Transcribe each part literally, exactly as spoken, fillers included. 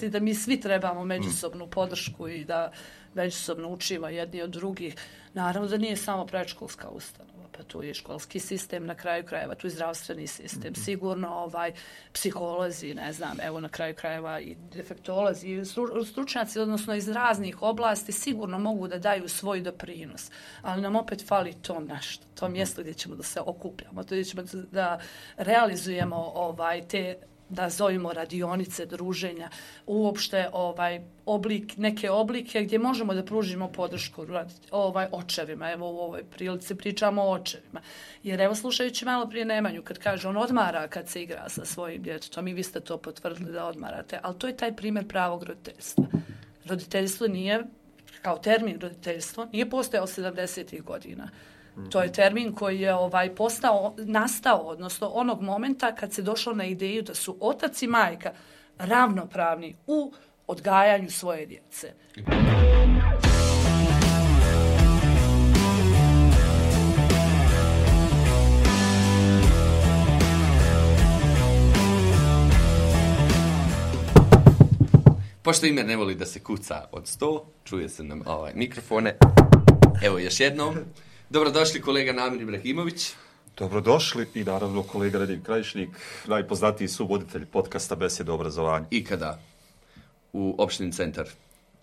misli da mi svi trebamo međusobnu podršku i da međusobno učimo jedni od drugih. Naravno da nije samo predškolska ustanova, pa tu je školski sistem na kraju krajeva, tu je zdravstveni sistem, sigurno ovaj, psiholozi, ne znam, evo na kraju krajeva i defektolozi, i stručnjaci, odnosno iz raznih oblasti, sigurno mogu da daju svoj doprinos, ali nam opet fali to nešto, to mjesto gdje ćemo da se okupljamo, to gdje ćemo da realizujemo ovaj, te, da zovemo radionice, druženja, uopšte ovaj oblik, neke oblike gdje možemo da pružimo podršku ovaj očevima. Evo u ovoj prilici pričamo o očevima. Jer evo slušajući malo prije Nemanju, kad kaže on odmara kad se igra sa svojim djetetom i vi ste to potvrdili da odmarate, ali to je taj primjer pravog roditeljstva. Roditeljstvo nije, kao termin roditeljstvo, nije postojao sedamdesetih godina. To je termin koji je ovaj postao, nastao, odnosno onog momenta kad se došlo na ideju da su otac i majka ravnopravni u odgajanju svoje djece. Pošto Imer ne voli da se kuca od sto, čuje se nam ovaj mikrofone. Evo još jednom. Dobrodošli kolega Namir Ibrahimović. Dobrodošli i naravno kolega Radim Krajišnik, najpoznatiji suvoditelj podcasta Besjeda o obrazovanju. Ikada u opštini Centar.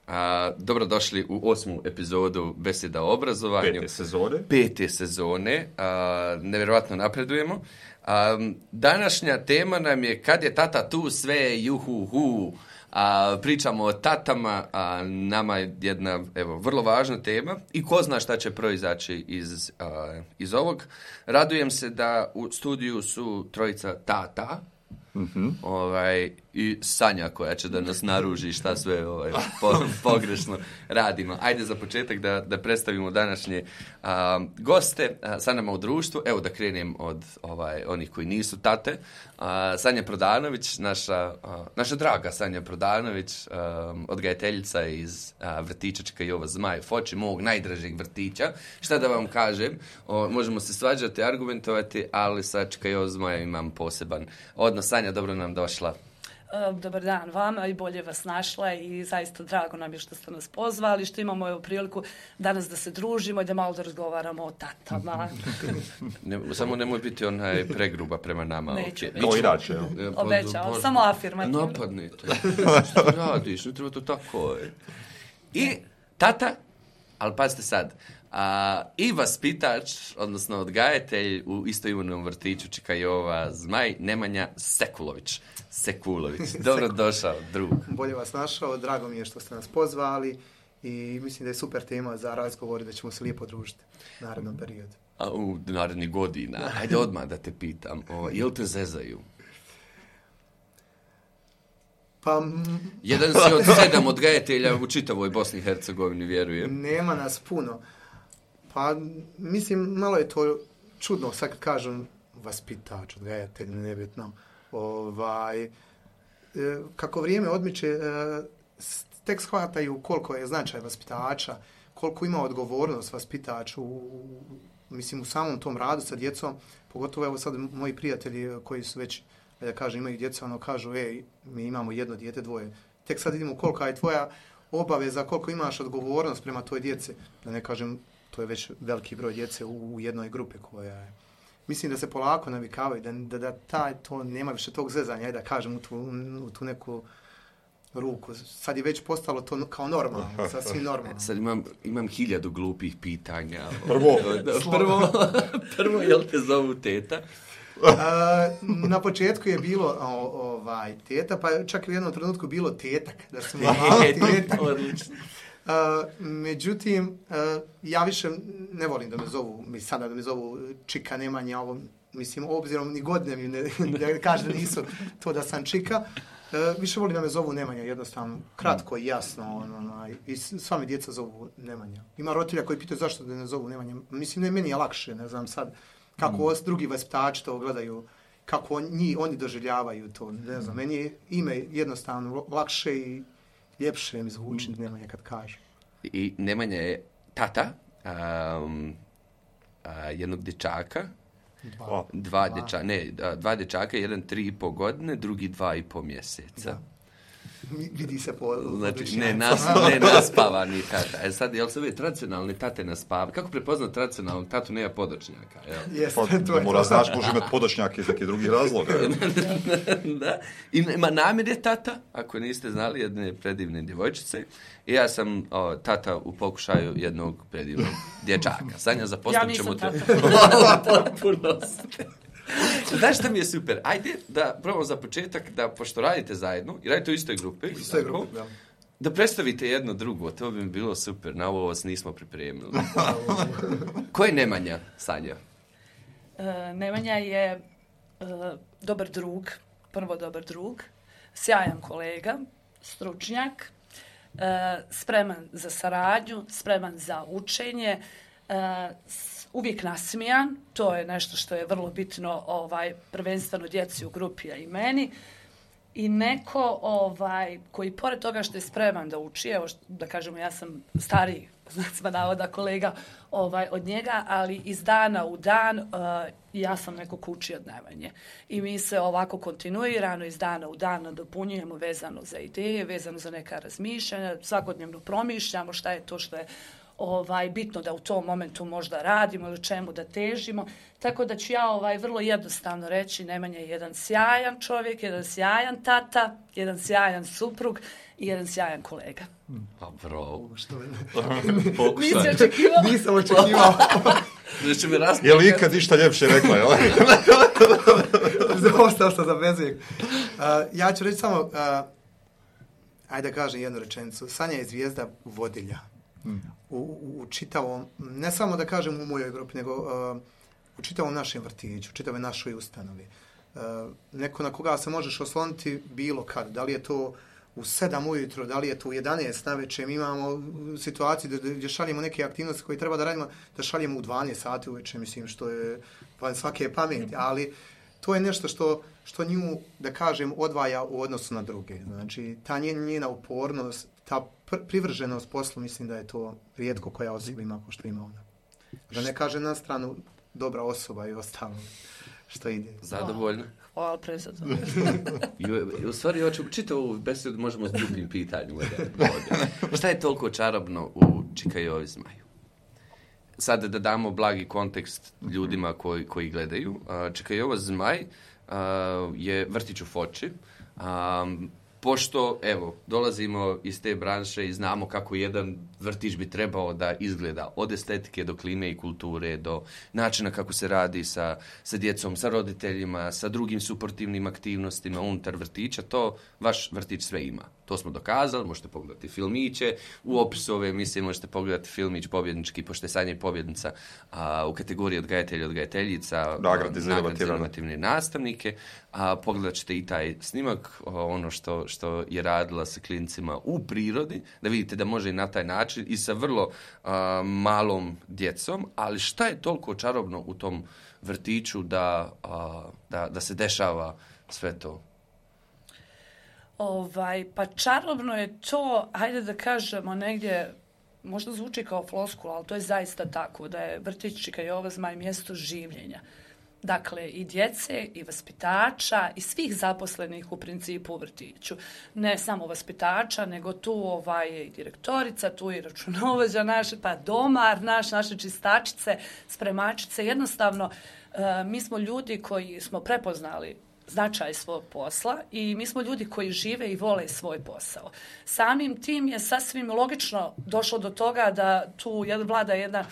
A, dobrodošli u osmu epizodu Besjeda o obrazovanju. Pete sezone. Pete sezone. A, nevjerovatno napredujemo. A, današnja tema nam je kad je tata tu sve juhu hu. A, pričamo o tatama, a nama je jedna evo, vrlo važna tema i ko zna šta će proizaći iz, a, iz ovog. Radujem se da u studiju su trojica tata, mm-hmm. ovaj, i Sanja koja će da nas naruži šta sve ovaj, po, pogrešno radimo. Ajde za početak da, da predstavimo današnje a, goste a, sa nama u društvu. Evo da krenem od ovaj, onih koji nisu tate. A, Sanja Prodanović, naša, a, naša draga Sanja Prodanović, a, odgajateljica iz a, vrtića Čika Jova Zmaj Foči, mog najdražeg vrtića. Šta da vam kažem, o, možemo se svađati, argumentovati, ali sa Čika Jova Zmaja imam poseban odnos. Sanja, dobro nam došla. Dobar dan vama i bolje vas našla i zaista drago nam je što ste nas pozvali, što imamo evo priliku danas da se družimo i da malo da razgovaramo o tatama. ne, samo nemoj biti onaj pregruba prema nama. Neću. Okay. No, inače. Obećao, samo afirmativno. Napadnite. Što radiš? Ne treba to tako. I tata, ali pazite sad, a, i vaspitač, odnosno odgajatelj u istoimenom vrtiću Čika Jova Zmaj, Nemanja Sekulović. Sekulović. Dobro došao, drug. Bolje vas našao, drago mi je što ste nas pozvali i mislim da je super tema za razgovor i da ćemo se lijepo družiti u narednom periodu. A u narednih godina. Ajde odmah da te pitam, o, jel te zezaju? Pa... Jedan si od sedam odgajatelja u čitavoj Bosni i Hercegovini, vjerujem. Nema nas puno. Pa, mislim, malo je to čudno, sad kad kažem vaspitač, odgajatelj, nebitno. Ovaj, kako vrijeme odmiče, tek shvataju koliko je značaj vaspitača, koliko ima odgovornost vaspitač u, mislim, u samom tom radu sa djecom, pogotovo evo sad moji prijatelji koji su već, da kažem, imaju djeca, ono kažu, ej, mi imamo jedno dijete, dvoje, tek sad vidimo kolika je tvoja obaveza, koliko imaš odgovornost prema toj djeci, da ne kažem, to je već veliki broj djece u, u jednoj grupi koja je. Mislim da se polako navikavaju, da, da, da taj, to nema više tog zezanja, ajde da kažem, u tu, u tu neku ruku. Sad je već postalo to kao normalno, sasvim normalno. Sad imam, imam hiljadu glupih pitanja. Prvo. prvo, prvo, jel te zovu teta? A, na početku je bilo o, ovaj, teta, pa čak i u jednom trenutku bilo tetak, da smo malo tetak. Odlično. Uh, međutim, uh, ja više ne volim da me zovu, mi sada da me zovu Čika Nemanja, ovo, mislim, obzirom ni godine mi ne, da kaže da nisu to da sam Čika, uh, više volim da me zovu Nemanja, jednostavno, kratko i jasno, ono, ono, i sva mi djeca zovu Nemanja. Ima roditelja koji pitaju zašto da ne zovu Nemanja, mislim, ne, meni je lakše, ne znam sad, kako mm. drugi vaspitači to gledaju, kako on, njih, oni doživljavaju to, ne znam, meni je ime jednostavno lakše i ljepše mi zvuči Nemanja kad kaže. I Nemanja je tata um, uh, jednog dječaka, dva, dva, dva. Dječa, ne, dva dječaka, jedan tri i po godine, drugi dva i po mjeseca. Da. vidi se po... Znači, ne, nas, ne naspavani tata. E sad, jel se ove tradicionalne tate naspavani? Kako prepoznat tradicionalnu tatu nema podočnjaka? Jeste, Pa, to da je mora to. znaš, može imati podočnjake iz nekih drugih razloga. Da. I ima namire tata, ako niste znali, jedne predivne djevojčice. I ja sam o, tata u pokušaju jednog predivnog dječaka. Sanja, zaposlit ćemo te. Ja nisam tata. Potpunost. Znaš šta mi je super? Ajde da probamo za početak da, pošto radite zajedno i radite u istoj grupi, Istoj grupi, da. da predstavite jedno drugo. To bi mi bilo super. Na ovo vas nismo pripremili. Ko je Nemanja, Sanja? Uh, Nemanja je uh, dobar drug, prvo dobar drug, sjajan kolega, stručnjak, uh, spreman za saradnju, spreman za učenje, uh, uvijek nasmijan, to je nešto što je vrlo bitno ovaj, prvenstveno djeci u grupi, a i meni. I neko ovaj, koji pored toga što je spreman da uči, evo što, da kažemo ja sam stariji, znacima navoda kolega ovaj, od njega, ali iz dana u dan uh, ja sam neko ko uči od Nemanje. I mi se ovako kontinuirano iz dana u dan nadopunjujemo vezano za ideje, vezano za neka razmišljanja, svakodnevno promišljamo šta je to što je ovaj, bitno da u tom momentu možda radimo ili čemu da težimo. Tako da ću ja ovaj, vrlo jednostavno reći, Nemanja je jedan sjajan čovjek, jedan sjajan tata, jedan sjajan suprug i jedan sjajan kolega. Pa bravo. Nisi očekivao? Nisam očekivao. Znači mi rast... Je li ikad išta ljepše rekla, jel? Ostao sam za bezvijek. Uh, ja ću reći samo, uh, ajde da kažem jednu rečenicu. Sanja je zvijezda vodilja. U, u, u čitavom, ne samo da kažem u mojoj grupi, nego uh, u čitavom našem vrtiću, u čitavoj našoj ustanovi. Uh, neko na koga se možeš osloniti bilo kad. Da li je to u sedam ujutro, da li je to u jedanaest navečer. Mi imamo situaciju gdje, gdje šaljemo neke aktivnosti koje treba da radimo, da šaljemo u dvanaest sati uveče, mislim, što je van svake pameti. Ali to je nešto što, što nju, da kažem, odvaja u odnosu na druge. Znači, ta njena upornost, ta privrženost poslu, mislim da je to rijetko koja osoba ima ko što ima ona. Da ne kaže na stranu dobra osoba i ostalo što ide. Zadovoljno. Hvala prezadno. U stvari, hoću čitavu besedu možemo s drugim pitanjima. Šta je toliko čarobno u Čikajovi zmaju? Sad da damo blagi kontekst ljudima koji, koji gledaju. Čikajova zmaj je vrtić u Foči. Um, Pošto, evo, dolazimo iz te branše i znamo kako jedan vrtić bi trebao da izgleda od estetike do klime i kulture, do načina kako se radi sa, sa djecom, sa roditeljima, sa drugim suportivnim aktivnostima unutar vrtića, to vaš vrtić sve ima. To smo dokazali, možete pogledati filmiće, u opisu ove emisije možete pogledati filmić pobjednički, pošto je Sanja pobjednica a, u kategoriji odgajatelja i odgajateljica, nagrade za inovativne nastavnike, a pogledat ćete i taj snimak, ono što, što je radila sa klincima u prirodi, da vidite da može i na taj način i sa vrlo a, malom djecom, ali šta je toliko čarobno u tom vrtiću da, a, da, da se dešava sve to? Ovaj, pa čarobno je to, hajde da kažemo negdje, možda zvuči kao floskula, ali to je zaista tako, da je vrtić Čikajova zmaj mjesto življenja. Dakle, i djece, i vaspitača, i svih zaposlenih u principu u vrtiću. Ne samo vaspitača, nego tu ovaj, i direktorica, tu i računovođa naše, pa domar naš, naše čistačice, spremačice. Jednostavno, mi smo ljudi koji smo prepoznali značaj svog posla i mi smo ljudi koji žive i vole svoj posao. Samim tim je sasvim logično došlo do toga da tu vlada jedna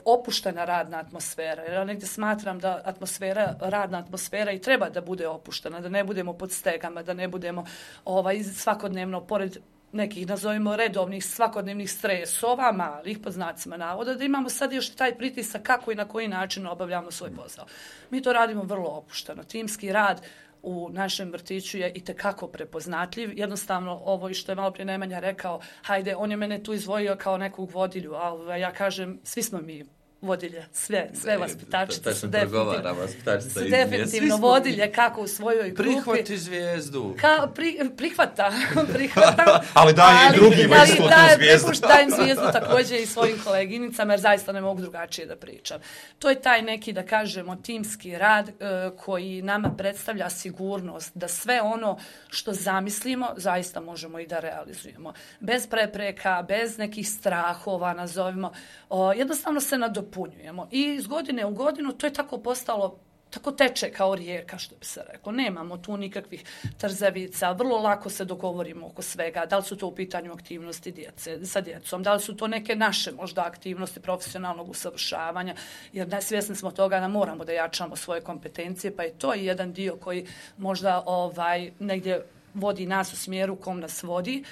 opuštena radna atmosfera. Jer ja negdje smatram da atmosfera, radna atmosfera i treba da bude opuštena, da ne budemo pod stegama, da ne budemo ovaj, svakodnevno pored nekih, nazovimo, redovnih svakodnevnih stresova, malih, pod znacima navoda, da imamo sad još taj pritisak kako i na koji način obavljamo svoj posao. Mi to radimo vrlo opušteno. Timski rad u našem vrtiću je itekako prepoznatljiv. Jednostavno, ovo i što je malo prije Nemanja rekao, hajde, on je mene tu izdvojio kao nekog vodilju, ali ja kažem, svi smo mi vodilje, sve, sve vaspitačice su definitivno, su definitivno vodilje kako u svojoj grupi. Prihvati zvijezdu. Ka, pri, prihvata, prihvata. ali daje i drugima isto tu zvijezdu. Dajem zvijezdu također i svojim koleginicama, jer zaista ne mogu drugačije da pričam. To je taj neki, da kažemo, timski rad e, koji nama predstavlja sigurnost da sve ono što zamislimo, zaista možemo i da realizujemo. Bez prepreka, bez nekih strahova, nazovimo, o, jednostavno se nadopunjujemo. I iz godine u godinu to je tako postalo, tako teče kao rijeka, što bi se reklo. Nemamo tu nikakvih trzavica, vrlo lako se dogovorimo oko svega. Da li su to u pitanju aktivnosti djece, sa djecom, da li su to neke naše možda aktivnosti profesionalnog usavršavanja, jer svjesni smo toga da moramo da jačamo svoje kompetencije, pa je to jedan dio koji možda ovaj negdje vodi nas u smjeru kom nas vodi.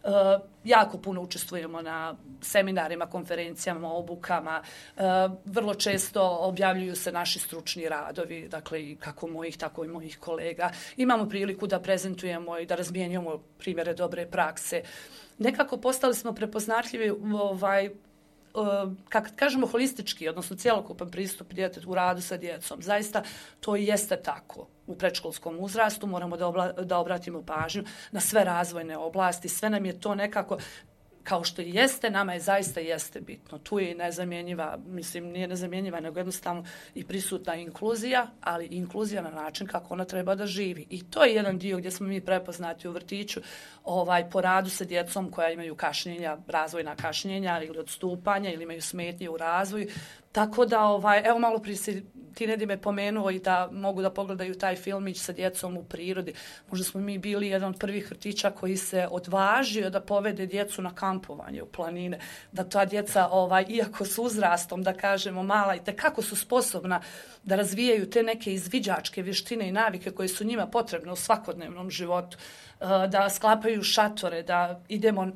Uh, jako puno učestvujemo na seminarima, konferencijama, obukama. Uh, vrlo često objavljuju se naši stručni radovi, dakle i kako mojih, tako i mojih kolega. Imamo priliku da prezentujemo i da razmijenjujemo primjere dobre prakse. Nekako postali smo prepoznatljivi ovaj, kako kažemo holistički, odnosno cjelokupan pristup djetetu u radu sa djecom. Zaista to i jeste tako. U predškolskom uzrastu moramo da, obla, da obratimo pažnju na sve razvojne oblasti. Sve nam je to nekako, kao što i jeste, nama je zaista jeste bitno. Tu je i nezamjenjiva, mislim nije nezamjenjiva, nego jednostavno i prisutna inkluzija, ali inkluzija na način kako ona treba da živi. I to je jedan dio gdje smo mi prepoznati u vrtiću, ovaj, po radu sa djecom koja imaju kašnjenja, razvojna kašnjenja ili odstupanja ili imaju smetnje u razvoju. Tako da, ovaj, evo malo prije si ti Nedim me pomenuo i da mogu da pogledaju taj filmić sa djecom u prirodi. Možda smo mi bili jedan od prvih vrtića koji se odvažio da povede djecu na kampovanje u planine. Da ta djeca, ovaj, iako su uzrastom, da kažemo, mala i tekako su sposobna da razvijaju te neke izviđačke vještine i navike koje su njima potrebne u svakodnevnom životu. Da sklapaju šatore, da idemo,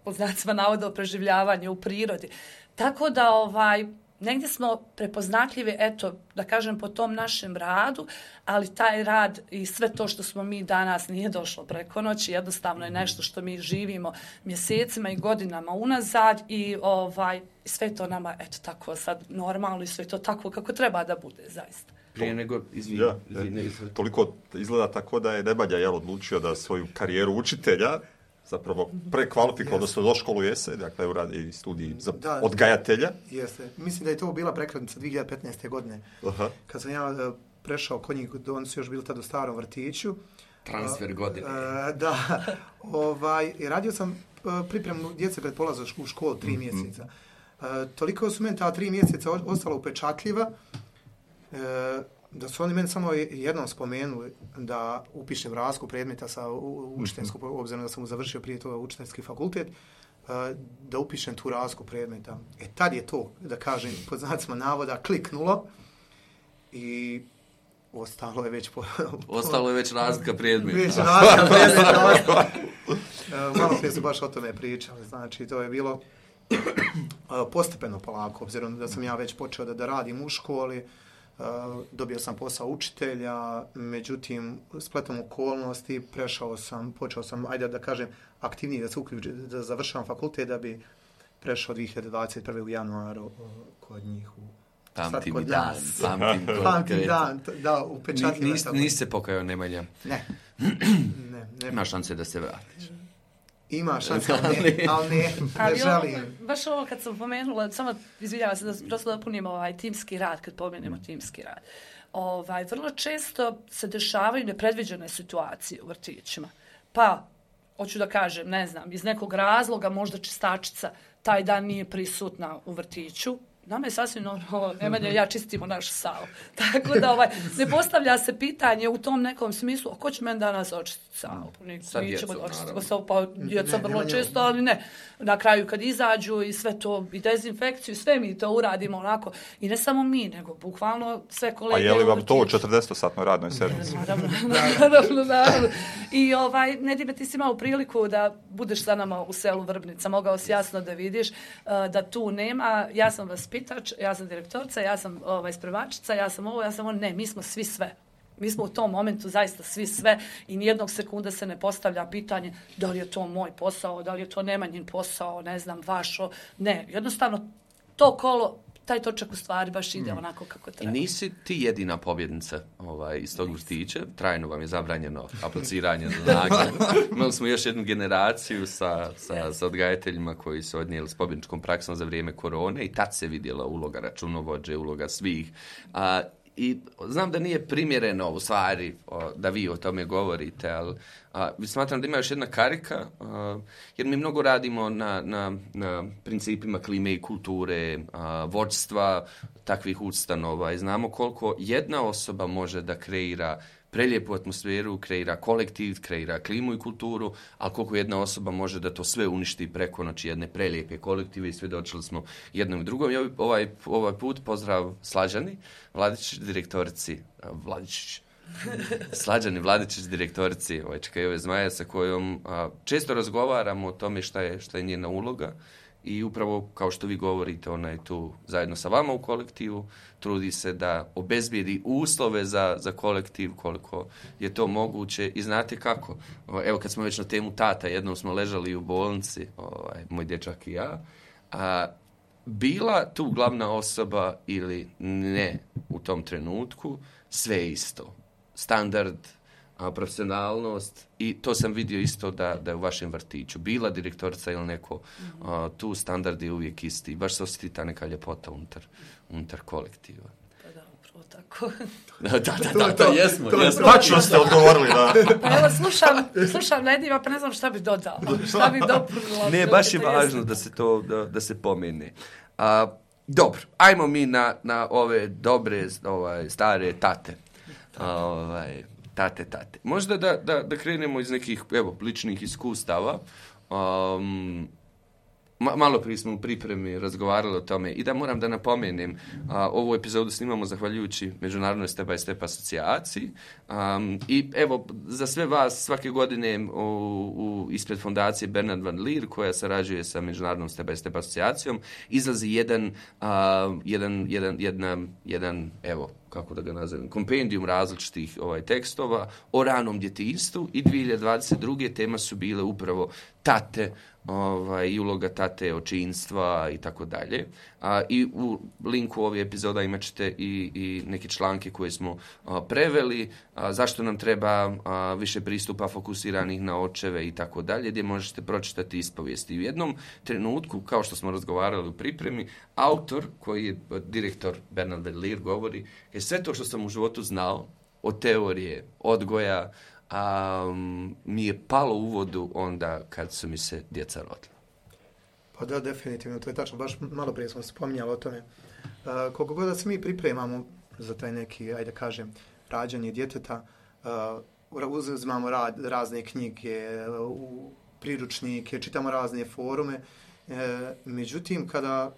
pod znacima navoda, o preživljavanju u prirodi. Tako da, ovaj, negdje smo prepoznatljivi, eto, da kažem, po tom našem radu, ali taj rad i sve to što smo mi danas nije došlo preko noći, jednostavno je nešto što mi živimo mjesecima i godinama unazad i ovaj, sve to nama, eto, tako sad normalno i sve to tako kako treba da bude, zaista. Prije nego, izvini, ja, izvini, izvini. Toliko izgleda tako da je Nebanja jel, odlučio da svoju karijeru učitelja zapravo prekvalifikao, odnosno do školu jese, dakle u radi i studiji za da, odgajatelja. Jeste. Mislim da je to bila prekretnica dvije hiljade petnaeste. godine. Aha. Kad sam ja prešao kod njih, oni su još bili tada u starom vrtiću. Transfer godine. Uh, da. Ovaj, radio sam pripremu djece pred polazak u školu tri mm-hmm. mjeseca. Uh, toliko su meni ta tri mjeseca ostala upečatljiva uh, da su oni meni samo jednom spomenuli da upišem razliku predmeta sa učiteljskog, obzirom da sam završio prije toga učiteljski fakultet, da upišem tu razliku predmeta. E tad je to, da kažem, pod znacima navoda, kliknulo i ostalo je već... Po, po, ostalo je već razlika predmeta. Već razlika predmeta. Malo prije su baš o tome pričali, znači to je bilo postepeno polako, obzirom da sam ja već počeo da, da radim u školi. Uh, dobio sam posao učitelja, međutim, spletom okolnosti, prešao sam, počeo sam, ajde da kažem, aktivnije da se uključim, da završavam fakultet, da bi prešao dvije hiljade dvadeset prve. u januaru uh, kod njih. U, pamtim i dan, pamtim to. Pamtim dan, da, upečatljivo. Nis, nisi se pokajao, Nemanja? Ne. ne, ne. Ima šanse da se vratiš. Ima šanse, ali ne, ali ne, ne želim. Ovo, baš ovo kad sam pomenula, samo izvinjavam se da prosto dopunimo ovaj timski rad, kad pomenemo timski rad. Ovaj, vrlo često se dešavaju nepredviđene situacije u vrtićima. Pa, hoću da kažem, ne znam, iz nekog razloga možda čistačica taj dan nije prisutna u vrtiću. Nama je sasvim normalno, Nemanja ja čistimo našu salu. Tako da ovaj, ne postavlja se pitanje u tom nekom smislu, a ko će meni danas očistiti salu? Sa djecom, naravno. Pa djeca vrlo često, ali ne. Na kraju kad izađu i sve to, i dezinfekciju, sve mi to uradimo onako. I ne samo mi, nego bukvalno sve kolege. A je li vam to u četrdesetosatnoj radnoj sedmici? Naravno, naravno, naravno. I ovaj, Nedime, ti si imao priliku da budeš sa nama u selu Vrbnica. Mogao si jasno da vidiš uh, da tu nema. Ja sam vas pitač, ja sam direktorca, ja sam ovaj, spremačica, ja sam ovo, ja sam ovo. Ne, mi smo svi sve. Mi smo u tom momentu zaista svi sve i nijednog sekunda se ne postavlja pitanje da li je to moj posao, da li je to Nemanjin posao, ne znam, vašo. Ne, jednostavno to kolo taj točak u stvari baš ide mm. onako kako treba. I nisi ti jedina pobjednica ovaj, iz tog vrtića. Trajno vam je zabranjeno apliciranje za nagrade. Imali smo još jednu generaciju sa, sa, yes. sa odgajateljima koji su odnijeli s pobjedničkom praksom za vrijeme korone i tad se vidjela uloga računovođe, uloga svih. A, I znam da nije primjereno u stvari o, da vi o tome govorite, ali a, smatram da ima još jedna karika, a, jer mi mnogo radimo na, na, na principima klime i kulture, a, vođstva takvih ustanova i znamo koliko jedna osoba može da kreira prelijepu atmosferu, kreira kolektiv, kreira klimu i kulturu, ali koliko jedna osoba može da to sve uništi preko noći jedne prelijepe kolektive i svjedočili smo jednom i drugom. I ovaj, ovaj put pozdrav Slađani Vladičić, direktorici, Vladičić, Slađani Vladičić, direktorici Čekajove Zmaje, sa kojom a, često razgovaramo o tome šta je, šta je njena uloga. I upravo, kao što vi govorite, ona je tu zajedno sa vama u kolektivu, trudi se da obezbijedi uslove za, za kolektiv koliko je to moguće. I znate kako? Evo, kad smo već na temu tata, jednom smo ležali u bolnici, ovaj, moj dječak i ja, a bila tu glavna osoba ili ne u tom trenutku, sve isto. Standard, a, profesionalnost i to sam vidio isto da, da je u vašem vrtiću. Bila direktorica ili neko, mm-hmm. a, tu standard je uvijek isti. Baš se osjeti ta neka ljepota unutar, unutar kolektiva. Pa da, upravo tako. da, da, da, da, to jesmo. To, jesmo. Tačno ste odgovorili, da. Pa evo, slušam, slušam Nedima, pa ne znam šta bi dodala. Šta bi dopunila. Ne, baš je važno da se to, da, da se pomene. A, dobro, ajmo mi na, na ove dobre, ovaj, stare tate. Ovaj, tate, tate. Možda da, da, da krenemo iz nekih, evo, ličnih iskustava. Um, ma, malo prije smo u pripremi razgovarali o tome i da moram da napomenem, uh, ovu epizodu snimamo zahvaljujući Međunarodnoj Step by Step asocijaciji. Um, I evo, za sve vas svake godine u, u, ispred fondacije Bernard van Leer, koja sarađuje sa Međunarodnom Step by Step asocijacijom, izlazi jedan, uh, jedan, jedan, jedna, jedan, evo, kako da ga nazovem, kompendijum različitih ovaj, tekstova o ranom djetinjstvu i dvije hiljade dvadeset druge tema su bile upravo tate, ovaj, i uloga tate, očinstva i tako dalje. A, I u linku ove epizoda imat ćete i, i neke članke koje smo a, preveli, a, zašto nam treba a, više pristupa fokusiranih na očeve i tako dalje, gdje možete pročitati ispovijesti. U jednom trenutku, kao što smo razgovarali u pripremi, autor, koji je direktor Bernard van Leer, govori je sve to što sam u životu znao od teorije, odgoja, um, mi je palo u vodu onda kad su mi se djeca rodila. Pa da, definitivno, to je tačno. Baš malo prije smo spominjali o tome. Uh, koliko god da se mi pripremamo za taj neki, ajde kažem, rađanje djeteta, uh, uzimamo ra- razne knjige, uh, priručnike, čitamo razne forume. Uh, međutim, kada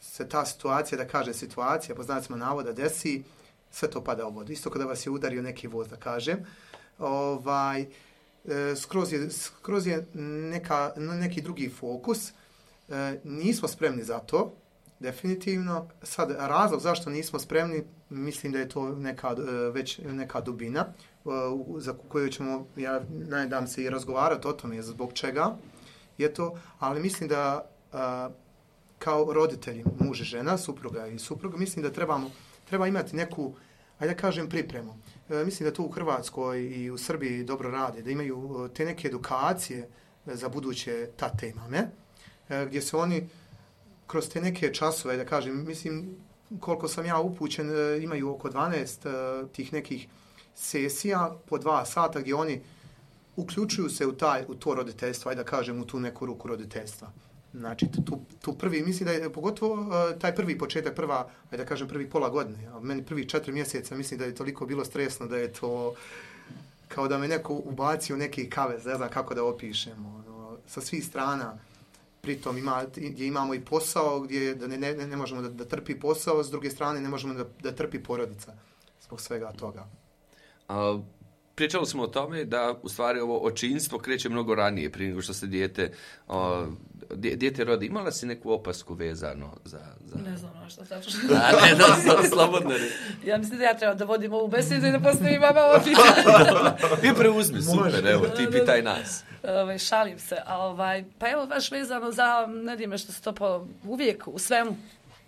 se ta situacija, da kažem situacija, po znacima navoda desi, sve to pada u vodu. Isto kada vas je udario neki voz, da kažem. Ovaj, e, skroz je, skroz je neka, neki drugi fokus. E, nismo spremni za to, definitivno. Sad, razlog zašto nismo spremni, mislim da je to neka, već neka dubina za koju ćemo, ja nadam se, i razgovarati o tome zbog čega je to, ali mislim da a, kao roditelji, muž i žena, supruga i supruga, mislim da trebamo, treba imati neku, ajde da kažem, pripremu. E, mislim da to u Hrvatskoj i u Srbiji dobro rade, da imaju te neke edukacije za buduće tate i mame, e, gdje se oni kroz te neke časove, da kažem, mislim, koliko sam ja upućen, e, imaju oko dvanaest e, tih nekih sesija po dva sata gdje oni uključuju se u, taj, u to roditeljstvo, ajde da kažem, u tu neku ruku roditeljstva. Znači, tu, tu prvi, mislim da je pogotovo uh, taj prvi početak, prva, ajde da kažem, prvi pola godine, a meni prvi četiri mjeseca, mislim da je toliko bilo stresno da je to kao da me neko ubacio neki kavez, ne znam kako da opišemo, ono, sa svih strana. Pritom ima, gdje imamo i posao, gdje da ne, ne, ne možemo da, da trpi posao, s druge strane ne možemo da, da trpi porodica zbog svega toga. A, pričali smo o tome da u stvari ovo očinstvo kreće mnogo ranije prije nego što se dijete, o, dijete rodi. Imala si neku opasku vezano za... za... Ne znam na što tačno. A ne, da, slobodno ne. Ja mislim da ja treba da vodim ovu besedu i da postavim vama ovo pitanje. Ti preuzmi, super, evo, ti pitaj nas. Ove, šalim se, a ovaj, pa evo baš vezano za, ne dime što se to po, uvijek u svemu,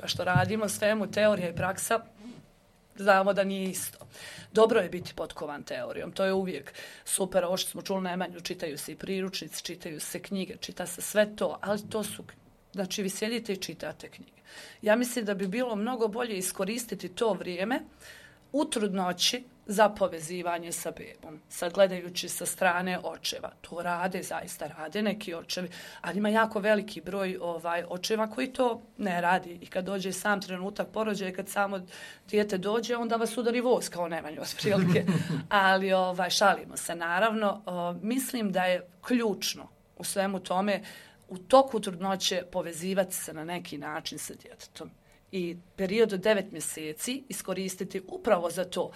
Pa što radimo svemu teorija i praksa, znamo da nije isto. Dobro je biti potkovan teorijom, to je uvijek super, ovo što smo čuli najmanju, čitaju se i priručnici, čitaju se knjige, čita se sve to, ali to su, znači vi sjedite i čitate knjige. Ja mislim da bi bilo mnogo bolje iskoristiti to vrijeme u trudnoći za povezivanje sa bebom. Sad gledajući sa strane očeva, to rade, zaista rade neki očevi, ali ima jako veliki broj ovaj očeva koji to ne radi. I kad dođe sam trenutak porođaja, kad samo dijete dođe, onda vas udari voz kao najmanje otprilike. Ali ovaj, šalimo se, naravno. O, mislim da je ključno u svemu tome u toku trudnoće povezivati se na neki način sa djetetom. I period od devet mjeseci iskoristiti upravo za to.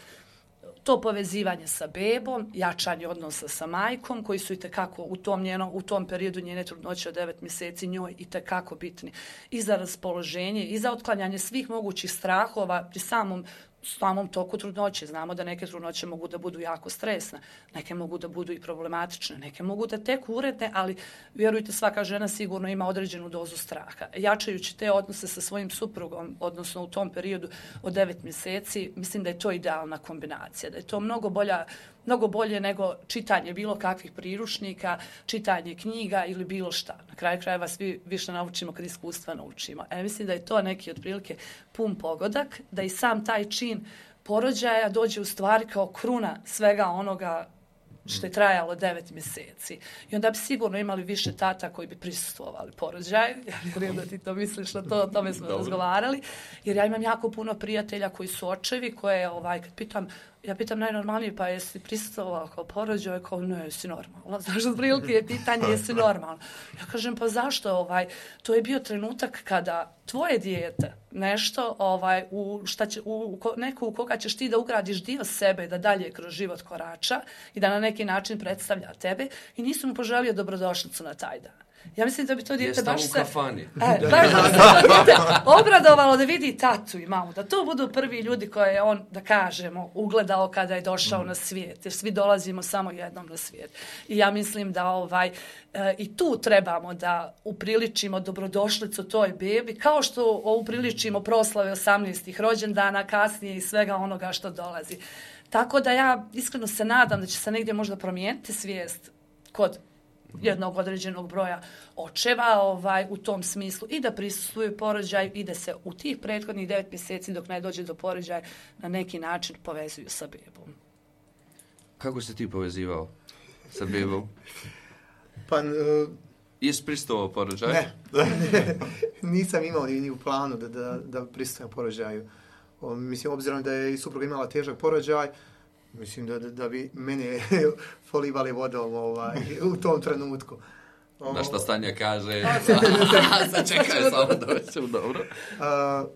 To povezivanje sa bebom, jačanje odnosa sa majkom, koji su itekako u tom, njeno, u tom periodu njene trudnoće od devet mjeseci njoj itekako bitni. I za raspoloženje, i za otklanjanje svih mogućih strahova pri samom samom toku trudnoće. Znamo da neke trudnoće mogu da budu jako stresne, neke mogu da budu i problematične, neke mogu da teku uredne, ali vjerujte, svaka žena sigurno ima određenu dozu straha. Jačajući te odnose sa svojim suprugom, odnosno u tom periodu od devet mjeseci, mislim da je to idealna kombinacija, da je to mnogo bolja mnogo bolje nego čitanje bilo kakvih priručnika, čitanje knjiga ili bilo šta. Na kraju krajeva svi više naučimo kad iskustva naučimo. E, mislim da je to neki otprilike pun pogodak, da i sam taj čin porođaja dođe u stvari kao kruna svega onoga što je trajalo devet mjeseci. I onda bi sigurno imali više tata koji bi prisustvovali porođaju. Ja vjerujem da ti to misliš na to, o tome smo Dobre. razgovarali. Jer ja imam jako puno prijatelja koji su očevi, koje, ovaj, kad pitam, ja pitam najnormalnije, pa jesi prisustvovao kao porođaju? Kao, ne, jesi normalno. Znaš, od prilike je pitanje, jesi normalno. Ja kažem, pa zašto? Ovaj, to je bio trenutak kada tvoje dijete nešto, ovaj, u, šta će, u, u neku u koga ćeš ti da ugradiš dio sebe, da dalje kroz život korača i da na neki način predstavlja tebe, i nisam mu poželio dobrodošlicu na taj dan. Ja mislim da bi to dijete baš se... E, baš da se dijete obradovalo da vidi tatu i mamu, da to budu prvi ljudi koje je on, da kažemo, ugledao kada je došao mm. na svijet, jer svi dolazimo samo jednom na svijet. I ja mislim da ovaj, e, i tu trebamo da upriličimo dobrodošlicu toj bebi, kao što upriličimo proslave osamnaestih rođendana, kasnije i svega onoga što dolazi. Tako da ja iskreno se nadam da će se negdje možda promijeniti svijest kod jednog određenog broja očeva ovaj, u tom smislu i da prisustvuju porođaju i da se u tih prethodnih devet mjeseci dok ne dođe do porođaja na neki način povezuju sa bebom. Kako se ti povezivao sa bebom? Pa... Uh, Jesi pristovao porođaju? Ne, nisam imao ni u planu da, da, da pristujem porođaju. O, mislim, obzirom da je i supruga imala težak porođaj, mislim da, da, da bi mene folivali vodom ovaj, u tom trenutku. O, na što Stanja kaže, začekaj samo da većem, dobro. Uh,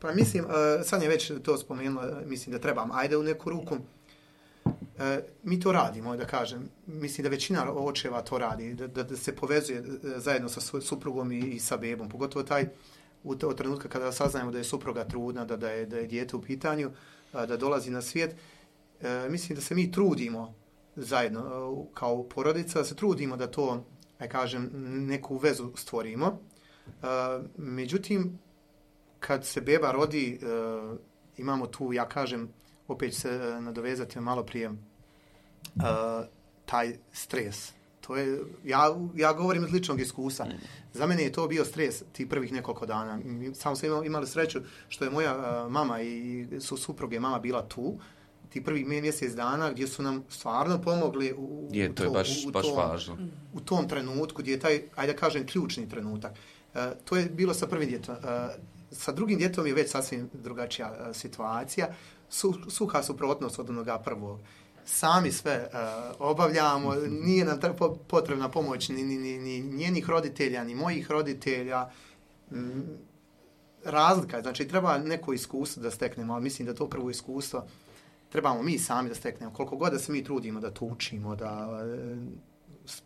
pa mislim, uh, Sanja već to spomenula, mislim da trebam, ajde u neku ruku. Uh, mi to radimo, da kažem. Mislim da većina očeva to radi, da, da, da se povezuje zajedno sa suprugom i, i sa bebom. Pogotovo taj u to, trenutka kada saznajemo da je supruga trudna, da, da, je, da je dijete u pitanju, uh, da dolazi na svijet. E, mislim da se mi trudimo zajedno kao porodica, da se trudimo da to, aj kažem, neku vezu stvorimo. E, međutim, kad se beba rodi, e, imamo tu, ja kažem, opet se nadovezati malo prije, e, taj stres. To je, ja, ja govorim iz ličnog iskustva. Za mene je to bio stres tih prvih nekoliko dana. Samo sam imali, imali sreću što je moja uh, mama i su supruge mama bila tu, ti prvih mjesec dana gdje su nam stvarno pomogli u, je, to, je baš, u, u, baš tom, važno. u tom trenutku gdje je taj, ajde da kažem, ključni trenutak. Uh, to je bilo sa prvim djetom. Uh, sa drugim djetom je već sasvim drugačija uh, situacija. Su, suha suprotnost od onoga prvog. Sami sve uh, obavljamo, nije nam potrebna pomoć ni, ni, ni, ni njenih roditelja, ni mojih roditelja. Mm, razlika, znači treba neko iskustvo da steknemo, ali mislim da to prvo iskustvo trebamo mi sami da steknemo. Koliko god da se mi trudimo da to učimo, da uh,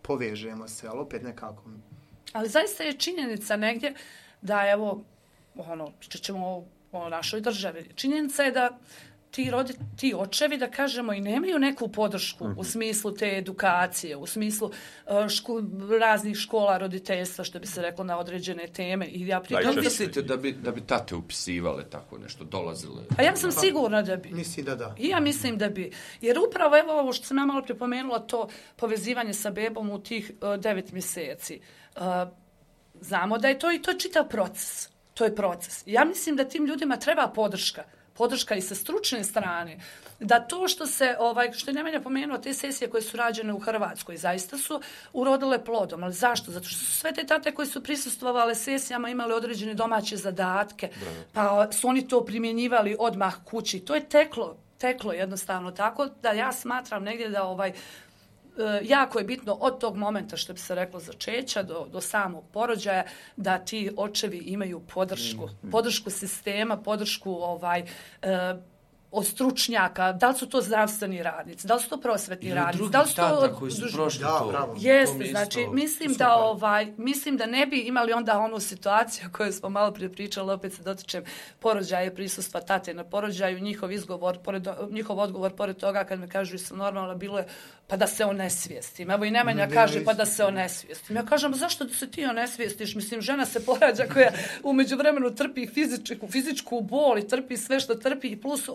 povežemo se, ali opet nekako. Ali zaista je činjenica negdje da evo, ono, što ćemo o našoj državi, činjenica je da ti, rodi, ti očevi, da kažemo, i nemaju neku podršku mm-hmm. u smislu te edukacije, u smislu uh, ško, raznih škola roditeljstva, što bi se reklo, na određene teme. I ja pri... Da li mislite da bi, da bi tate upisivale tako nešto, dolazile? A ja sam sigurna da bi. Mislim da da. I ja mislim da bi. Jer upravo, evo ovo što sam ja malo pripomenula, to povezivanje sa bebom u tih uh, devet mjeseci. Uh, znamo da je to i to je čitav proces. To je proces. Ja mislim da tim ljudima treba podrška. Podrška i sa stručne strane, da to što se, ovaj, što je Nemanja pomenuo, te sesije koje su rađene u Hrvatskoj, zaista su urodile plodom. Ali zašto? Zato što su sve te tate koje su prisustvovale sesijama imali određene domaće zadatke, pa su oni to primjenjivali odmah kući. To je teklo, teklo jednostavno tako da ja smatram negdje da ovaj, jako je bitno od tog momenta, što bi se reklo, začeća do, do samog porođaja, da ti očevi imaju podršku. Podršku sistema, podršku ovaj, e, od stručnjaka, da li su to zdravstveni radnici, da li su to prosvetni radnici, da li su to... koji su prošli da, to. Jeste, znači, mislim da, ovaj, mislim da ne bi imali onda onu situaciju koju smo malo prije pričali, opet se dotičem porođaja, prisustva tate na porođaju, njihov izgovor, pored, njihov odgovor, pored toga kad me kažu sam normalno, bilo je pa da se onesvijestim. Evo i Nemanja ne, kaže pa da se onesvijestim. Ja kažem, zašto da se ti onesvijestiš? Mislim, žena se porađa koja u međuvremenu trpi fizičku, fizičku bol i trpi sve što trpi i plus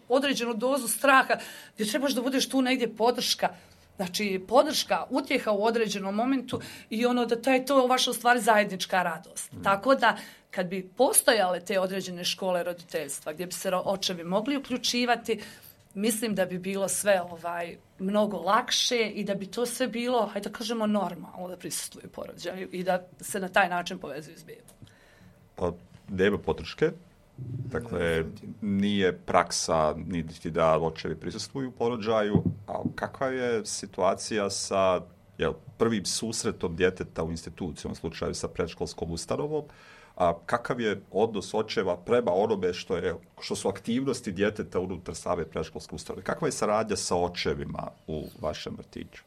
određenu dozu straha gdje trebaš da budeš tu negdje podrška. Znači, podrška, utjeha u određenom momentu i ono da taj, to je vaša u stvari zajednička radost. Mm. Tako da, kad bi postojale te određene škole roditeljstva gdje bi se očevi mogli uključivati, mislim da bi bilo sve ovaj mnogo lakše i da bi to sve bilo, hajde da kažemo, normalno da prisustvuju porođaju i da se na taj način povezuju s bebom. Pa, nema podrške. Dakle, nije praksa niti da očevi prisustvuju porođaju, a kakva je situacija sa jel, prvim susretom djeteta u instituciji, u slučaju sa predškolskom ustanovom, a kakav je odnos očeva prema onome što, je, što su aktivnosti djeteta unutar same predškolske ustanove? Kakva je saradnja sa očevima u vašem vrtiću?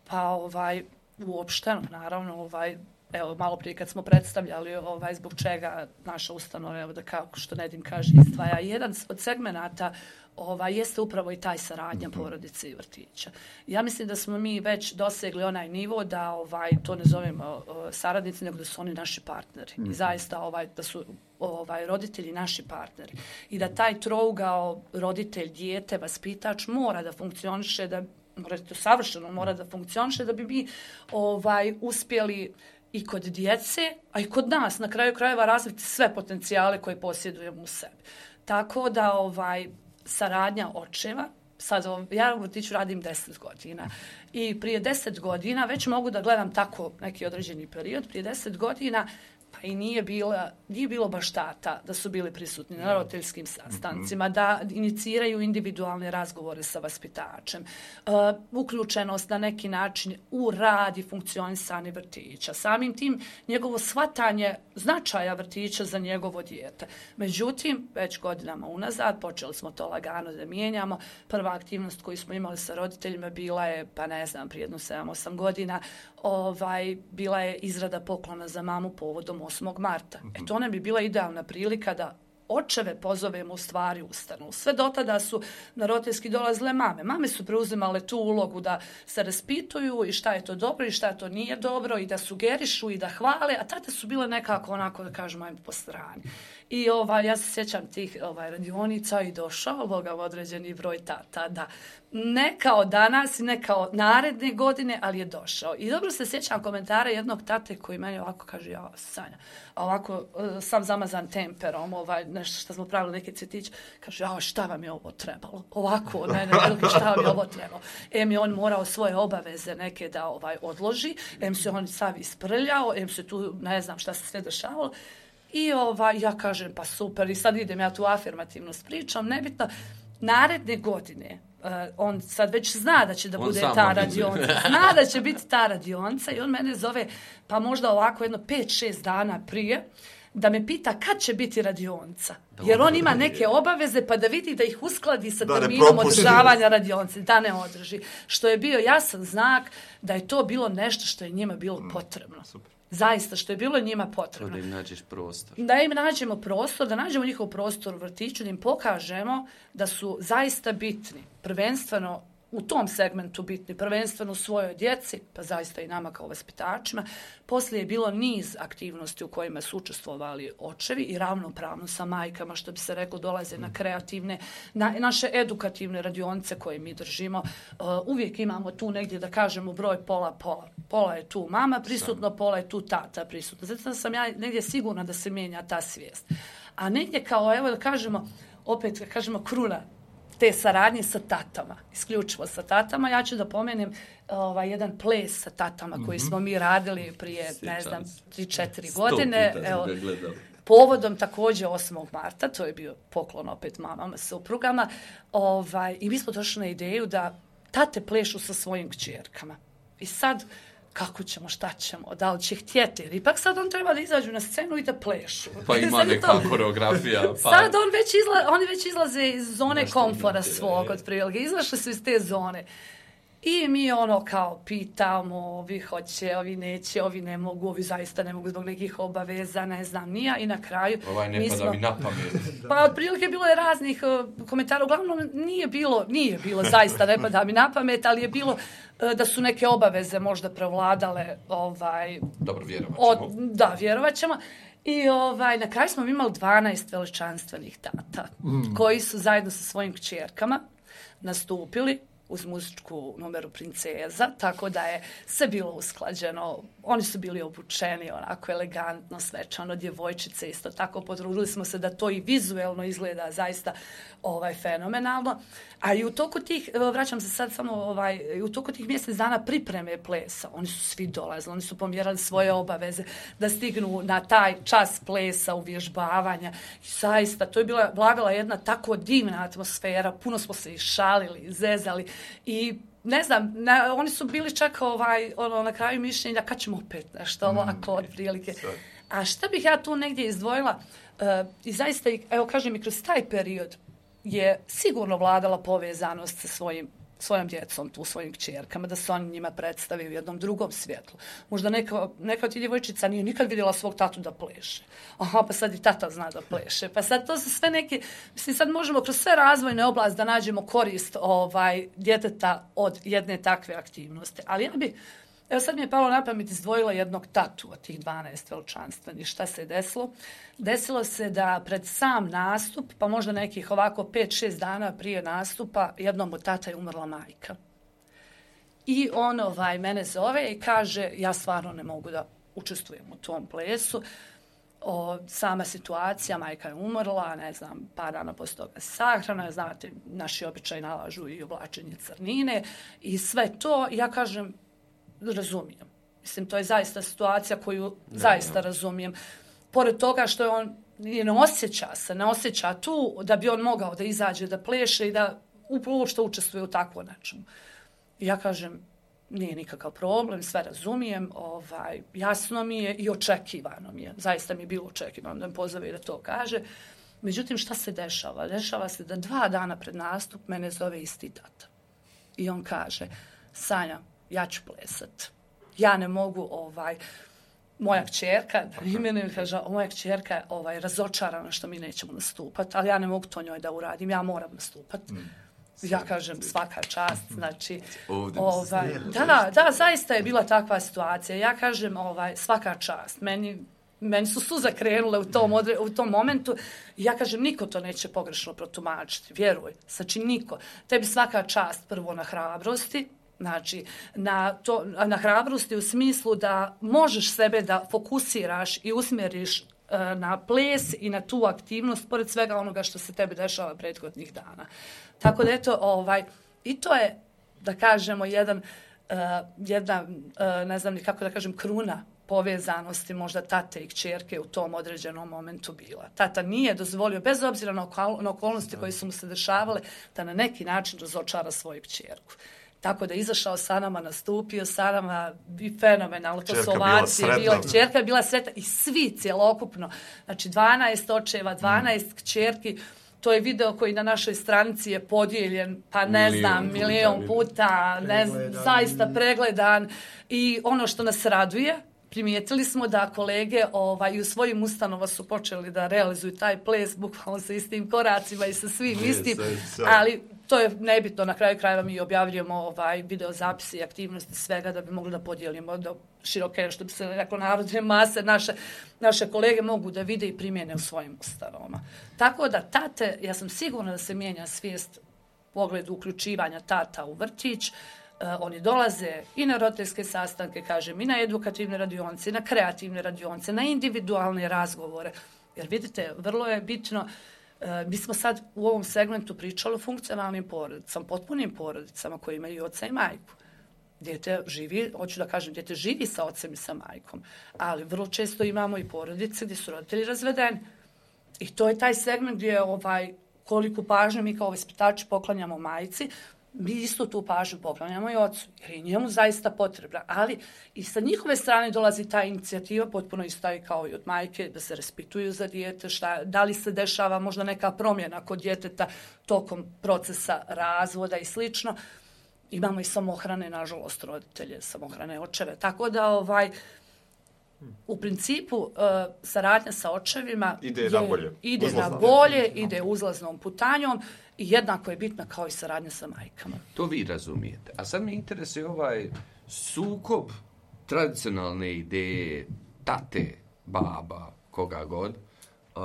Pa, ovaj, uopšteno, naravno, ovaj, evo, malo prije kad smo predstavljali ovaj, zbog čega naša ustanova, evo da kako što Nedim kaže, izdvaja. Jedan od segmenata ovaj, jeste upravo i taj saradnja porodice i vrtića. Ja mislim da smo mi već dosegli onaj nivo da ovaj, to ne zovemo saradnici, nego da su oni naši partneri. I zaista ovaj, da su ovaj, roditelji naši partneri. I da taj trougao roditelj, dijete, vaspitač mora da funkcioniše, da mora to savršeno mora da funkcioniše da bi mi ovaj, uspjeli i kod djece, a i kod nas, na kraju krajeva, razviti sve potencijale koje posjedujemo u sebi. Tako da ovaj, saradnja očeva, sad ja u vrtiću radim deset godina i prije deset godina već mogu da gledam tako neki određeni period, prije deset godina pa i nije, bila, nije bilo baš tata da su bili prisutni na roditeljskim sastancima, da iniciraju individualne razgovore sa vaspitačem, uh, uključenost na neki način u rad i funkcionisanje vrtića. Samim tim njegovo shvatanje značaja vrtića za njegovo dijete. Međutim, već godinama unazad počeli smo to lagano da mijenjamo. Prva aktivnost koju smo imali sa roditeljima bila je, pa ne znam, prije jedno sedam osam godina, ovaj, bila je izrada poklona za mamu povodom osmog marta. E to nam bi bila idealna prilika da očeve pozovemo u stvari ustanu. Sve do tada su na roditeljski dolazile mame. Mame su preuzimale tu ulogu da se raspituju i šta je to dobro i šta to nije dobro i da sugerišu i da hvale, a tate su bile nekako onako da kažemo ajmo po strani. I ovaj, ja se sjećam tih ovaj, radionica i došao ovoga određeni broj tata da ne kao danas i ne kao naredne godine, ali je došao. I dobro se sjećam komentara jednog tate koji meni ovako kaže, ja, Sanja, ovako sam zamazan temperom, ovaj, nešto što smo pravili neke cvjetiće, kaže, ja, šta vam je ovo trebalo? Ovako, ne, ne, ne, šta vam je ovo trebalo? Em je on morao svoje obaveze neke da ovaj odloži, em se on sav isprljao, em se tu, ne znam šta se sve dešavalo. I ovaj, ja kažem, pa super, i sad idem ja tu afirmativno s pričom, nebitno, naredne godine, uh, on sad već zna da će da on bude ta radionca, zna da će biti ta radionca i on mene zove, pa možda ovako jedno pet šest dana prije, da me pita kad će biti radionica. Jer on ima neke obaveze pa da vidi da ih uskladi sa terminom održavanja radionice, da ne održi. Što je bio jasan znak da je to bilo nešto što je njima bilo potrebno. Super. Zaista, što je bilo njima potrebno. Da im nađeš prostor. Da im nađemo prostor, da nađemo njihov prostor u vrtiću, da im pokažemo da su zaista bitni, prvenstveno u tom segmentu bitni, prvenstveno u svojoj djeci, pa zaista i nama kao vaspitačima. Poslije je bilo niz aktivnosti u kojima su učestvovali očevi i ravnopravno sa majkama, što bi se reklo, dolaze na kreativne, na naše edukativne radionice koje mi držimo. Uh, uvijek imamo tu negdje, da kažemo, broj pola, pola. Pola je tu mama prisutno, pola je tu tata prisutno. Zato sam ja negdje sigurna da se mijenja ta svijest. A negdje kao, evo da kažemo, opet da kažemo kruna te saradnje sa tatama, isključivo sa tatama. Ja ću da pomenem ovaj, jedan ples sa tatama koji mm-hmm. smo mi radili prije, Sjećam ne znam, tri četiri godine. Evo, povodom također osmog marta, to je bio poklon opet mamama, suprugama, ovaj, i mi smo došli na ideju da tate plešu sa svojim kćerkama. I sad, kako ćemo, šta ćemo, da li će htjeti, jer ipak sad on treba da izađu na scenu i da plešu. Pa ima neka to... koreografija. Pa... Sad on već izla... oni već izlaze iz zone Nešto komfora imate, svog, od prilike. Izašli su iz te zone. I mi ono kao pitamo, ovi hoće, ovi neće, ovi ne mogu, ovi zaista ne mogu zbog nekih obaveza, ne znam, nija. I na kraju... Ovaj ne pada mi na pamet. Pa otprilike bilo je raznih uh, komentara. Uglavnom nije bilo, nije bilo zaista ne pada mi na pamet, ali je bilo uh, da su neke obaveze možda prevladale. Ovaj, Dobro, vjerovat ćemo. Od, da, vjerovat ćemo. I ovaj, na kraju smo imali dvanaest veličanstvenih tata mm. koji su zajedno sa svojim kćerkama nastupili uz muzičku numeru Princeza, tako da je sve bilo usklađeno. Oni su bili obučeni onako elegantno, svečano, djevojčice isto tako. Potrudili smo se da to i vizuelno izgleda zaista ovaj, fenomenalno. A i u toku tih, vraćam se sad samo, ovaj, u toku tih mjesec dana pripreme plesa, oni su svi dolazili, oni su pomjerali svoje obaveze da stignu na taj čas plesa, uvježbavanja. I zaista, to je bila, vladala jedna tako divna atmosfera, puno smo se i šalili, zezali i ne znam, na, oni su bili čak ovaj, ono, na kraju mišljenja kad ćemo opet nešto ovako od prilike. A šta bih ja tu negdje izdvojila uh, i zaista, evo kažem i kroz taj period je sigurno vladala povezanost sa svojim, svojom djecom, tu svojim kćerkama, da se oni njima predstavi u jednom drugom svjetlu. Možda neka, neka od tih djevojčica nije nikad vidjela svog tatu da pleše. Aha, pa sad i tata zna da pleše. Pa sad to su sve neke, mislim sad možemo kroz sve razvojne oblasti da nađemo korist ovaj, djeteta od jedne takve aktivnosti. Ali ja bi, evo sad mi je palo na pamet, izdvojila jednog tatu od tih dvanaest veličanstvenih. Šta se je desilo? Desilo se da pred sam nastup, pa možda nekih ovako pet šest dana prije nastupa, jednom od tata je umrla majka. I on ovaj, mene zove i kaže, ja stvarno ne mogu da učestvujem u tom plesu. O, sama situacija, majka je umrla, ne znam, par dana poslije toga sahrana, znate, naši običaji nalažu i oblačenje crnine i sve to. Ja kažem, razumijem. Mislim, to je zaista situacija koju ne, zaista ne. razumijem. Pored toga što je on ne osjeća se, ne osjeća tu da bi on mogao da izađe, da pleše i da uopšte učestvuje u takvo nečemu. Ja kažem, nije nikakav problem, sve razumijem, ovaj, jasno mi je i očekivano mi je. Zaista mi je bilo očekivano da me pozove i da to kaže. Međutim, šta se dešava? Dešava se da dva dana pred nastup mene zove isti tata. I on kaže, Sanja, ja ću plesat. Ja ne mogu, ovaj, moja kćerka, da imenujem, kaže, moja kćerka je ovaj, razočarana što mi nećemo nastupati, ali ja ne mogu to njoj da uradim, ja moram nastupati. Mm. Ja kažem, svaka čast, znači, ovaj, da, da, zaista je bila takva situacija. Ja kažem, ovaj, svaka čast, meni, meni su suze krenule u tom, odre, u tom momentu. Ja kažem, niko to neće pogrešno protumačiti, vjeruj, znači niko. Tebi svaka čast prvo na hrabrosti, znači, na, to, na hrabrosti u smislu da možeš sebe da fokusiraš i usmjeriš uh, na ples i na tu aktivnost, pored svega onoga što se tebi dešava prethodnih dana. Tako da, eto, ovaj, i to je, da kažemo, jedan, uh, jedna, uh, ne znam ni kako da kažem, kruna povezanosti možda tate i kćerke u tom određenom momentu bila. Tata nije dozvolio, bez obzira na, okol, na okolnosti koje su mu se dešavale, da na neki način razočara svoju kćerku. Tako da izašao sa nama, nastupio sa nama i fenomenalno, to su Čerka bila ovacije, bila, sretna. čerka je bila sretna i svi cjelokupno, znači dvanaest očeva, dvanaest kćerki, to je video koji na našoj stranici je podijeljen, pa ne Milion znam, puta, milion puta, ne znam, Pregledan. zaista pregledan. I ono što nas raduje, primijetili smo da kolege ovaj, u svojim ustanova su počeli da realizuju taj ples, bukvalno sa istim koracima i sa svim Yes, istim, yes, yes. ali to je nebitno, na kraju krajeva mi objavljujemo ovaj, video zapise i aktivnosti svega da bi mogli da podijelimo do široke, što bi se reklo, narodne mase, naše, naše kolege mogu da vide i primjene u svojim ustanovama. Tako da tate, ja sam sigurna da se mijenja svijest u pogledu uključivanja tata u vrtić. Uh, oni dolaze i na roditeljske sastanke, kažem, i na edukativne radionice, i na kreativne radionice, na individualne razgovore. Jer vidite, vrlo je bitno, uh, mi smo sad u ovom segmentu pričali o funkcionalnim porodicama, potpunim porodicama koji imaju oca i majku. Dijete živi, hoću da kažem, dijete živi sa ocem i sa majkom, ali vrlo često imamo i porodice gdje su roditelji razvedeni. I to je taj segment gdje ovaj, koliku pažnju mi kao vaspitači poklanjamo majci, mi isto tu pažnju poklanjamo i ocu, jer je njemu zaista potrebna. Ali i sa njihove strane dolazi ta inicijativa, potpuno isto i kao i od majke, da se raspituju za dijete, šta, da li se dešava možda neka promjena kod djeteta tokom procesa razvoda i slično. Imamo i samohrane, nažalost, roditelje, samohrane očeve. Tako da, ovaj, u principu, uh, saradnja sa očevima Ide je, na bolje. ide Uzlazno. na bolje, ide uzlaznom putanjom i jednako je bitna kao i saradnja sa majkama. To vi razumijete. A sad me interesuje ovaj sukob tradicionalne ideje tate, baba, koga god, uh,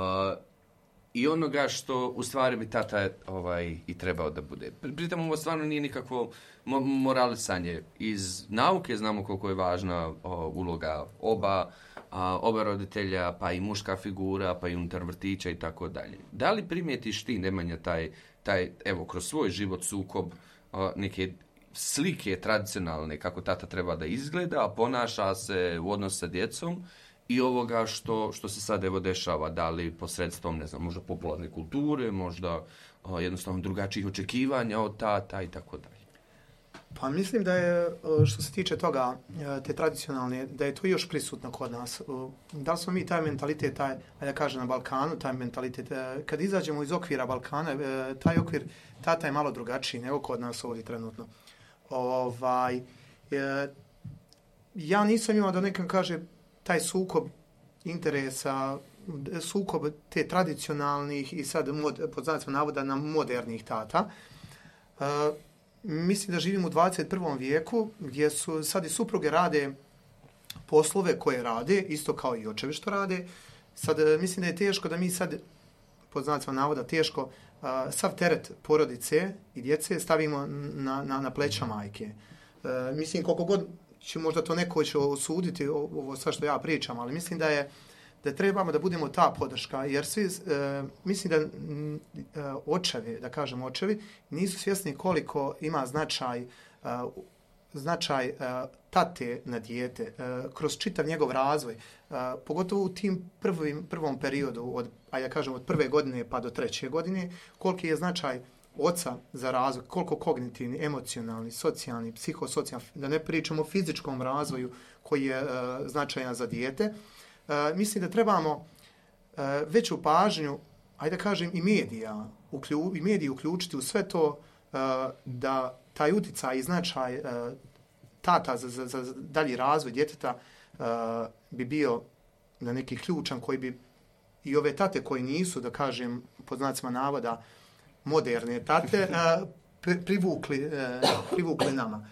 i onoga što u stvari bi tata ovaj, i trebao da bude. Pritom ovo stvarno nije nikakvo mo- moralisanje. Iz nauke znamo koliko je važna o, uloga oba, a, oba roditelja, pa i muška figura, pa i unutar vrtića i tako dalje. Da li primijetiš ti, Nemanja, taj, taj evo, kroz svoj život sukob o, neke slike tradicionalne kako tata treba da izgleda, a ponaša se u odnosu sa djecom, i ovoga što, što se sad evo dešava, da li posredstvom, ne znam, možda popularne kulture, možda o, jednostavno drugačijih očekivanja od tata i tako dalje. Pa mislim da je, što se tiče toga, te tradicionalne, da je to još prisutno kod nas. Da li smo mi taj mentalitet, taj, da kažem na Balkanu, taj mentalitet, kad izađemo iz okvira Balkana, taj okvir, tata je malo drugačiji nego kod nas ovdje trenutno. Ovaj, ja nisam imao da nekam kaže taj sukob interesa, sukob te tradicionalnih i sad mod, pod znacima navoda na modernih tata. Uh, mislim da živimo u dvadeset prvom vijeku gdje su sad i supruge rade poslove koje rade, isto kao i očevi što rade. Sad mislim da je teško da mi sad, pod znacima navoda, teško uh, sav teret porodice i djece stavimo na, na, na pleća majke. Uh, mislim koliko god će možda to neko će osuditi ovo sve što ja pričam, ali mislim da je da trebamo da budemo ta podrška, jer svi, e, mislim da e, očevi, da kažem očevi, nisu svjesni koliko ima značaj, e, značaj e, tate na dijete, e, kroz čitav njegov razvoj, e, pogotovo u tim prvim, prvom periodu, od, a ja kažem od prve godine pa do treće godine, koliki je značaj oca za razvoj, koliko kognitivni, emocionalni, socijalni, psihosocijalni, da ne pričamo o fizičkom razvoju koji je uh, značajan za dijete. Uh, mislim da trebamo uh, veću pažnju, ajde da kažem, i medija, uklju, i mediji uključiti u sve to uh, da taj uticaj i značaj uh, tata za, za, za dalji razvoj djeteta uh, bi bio na neki ključan koji bi i ove tate koji nisu, da kažem, pod znacima navoda, moderne tate, uh, privukli, uh, privukli nama.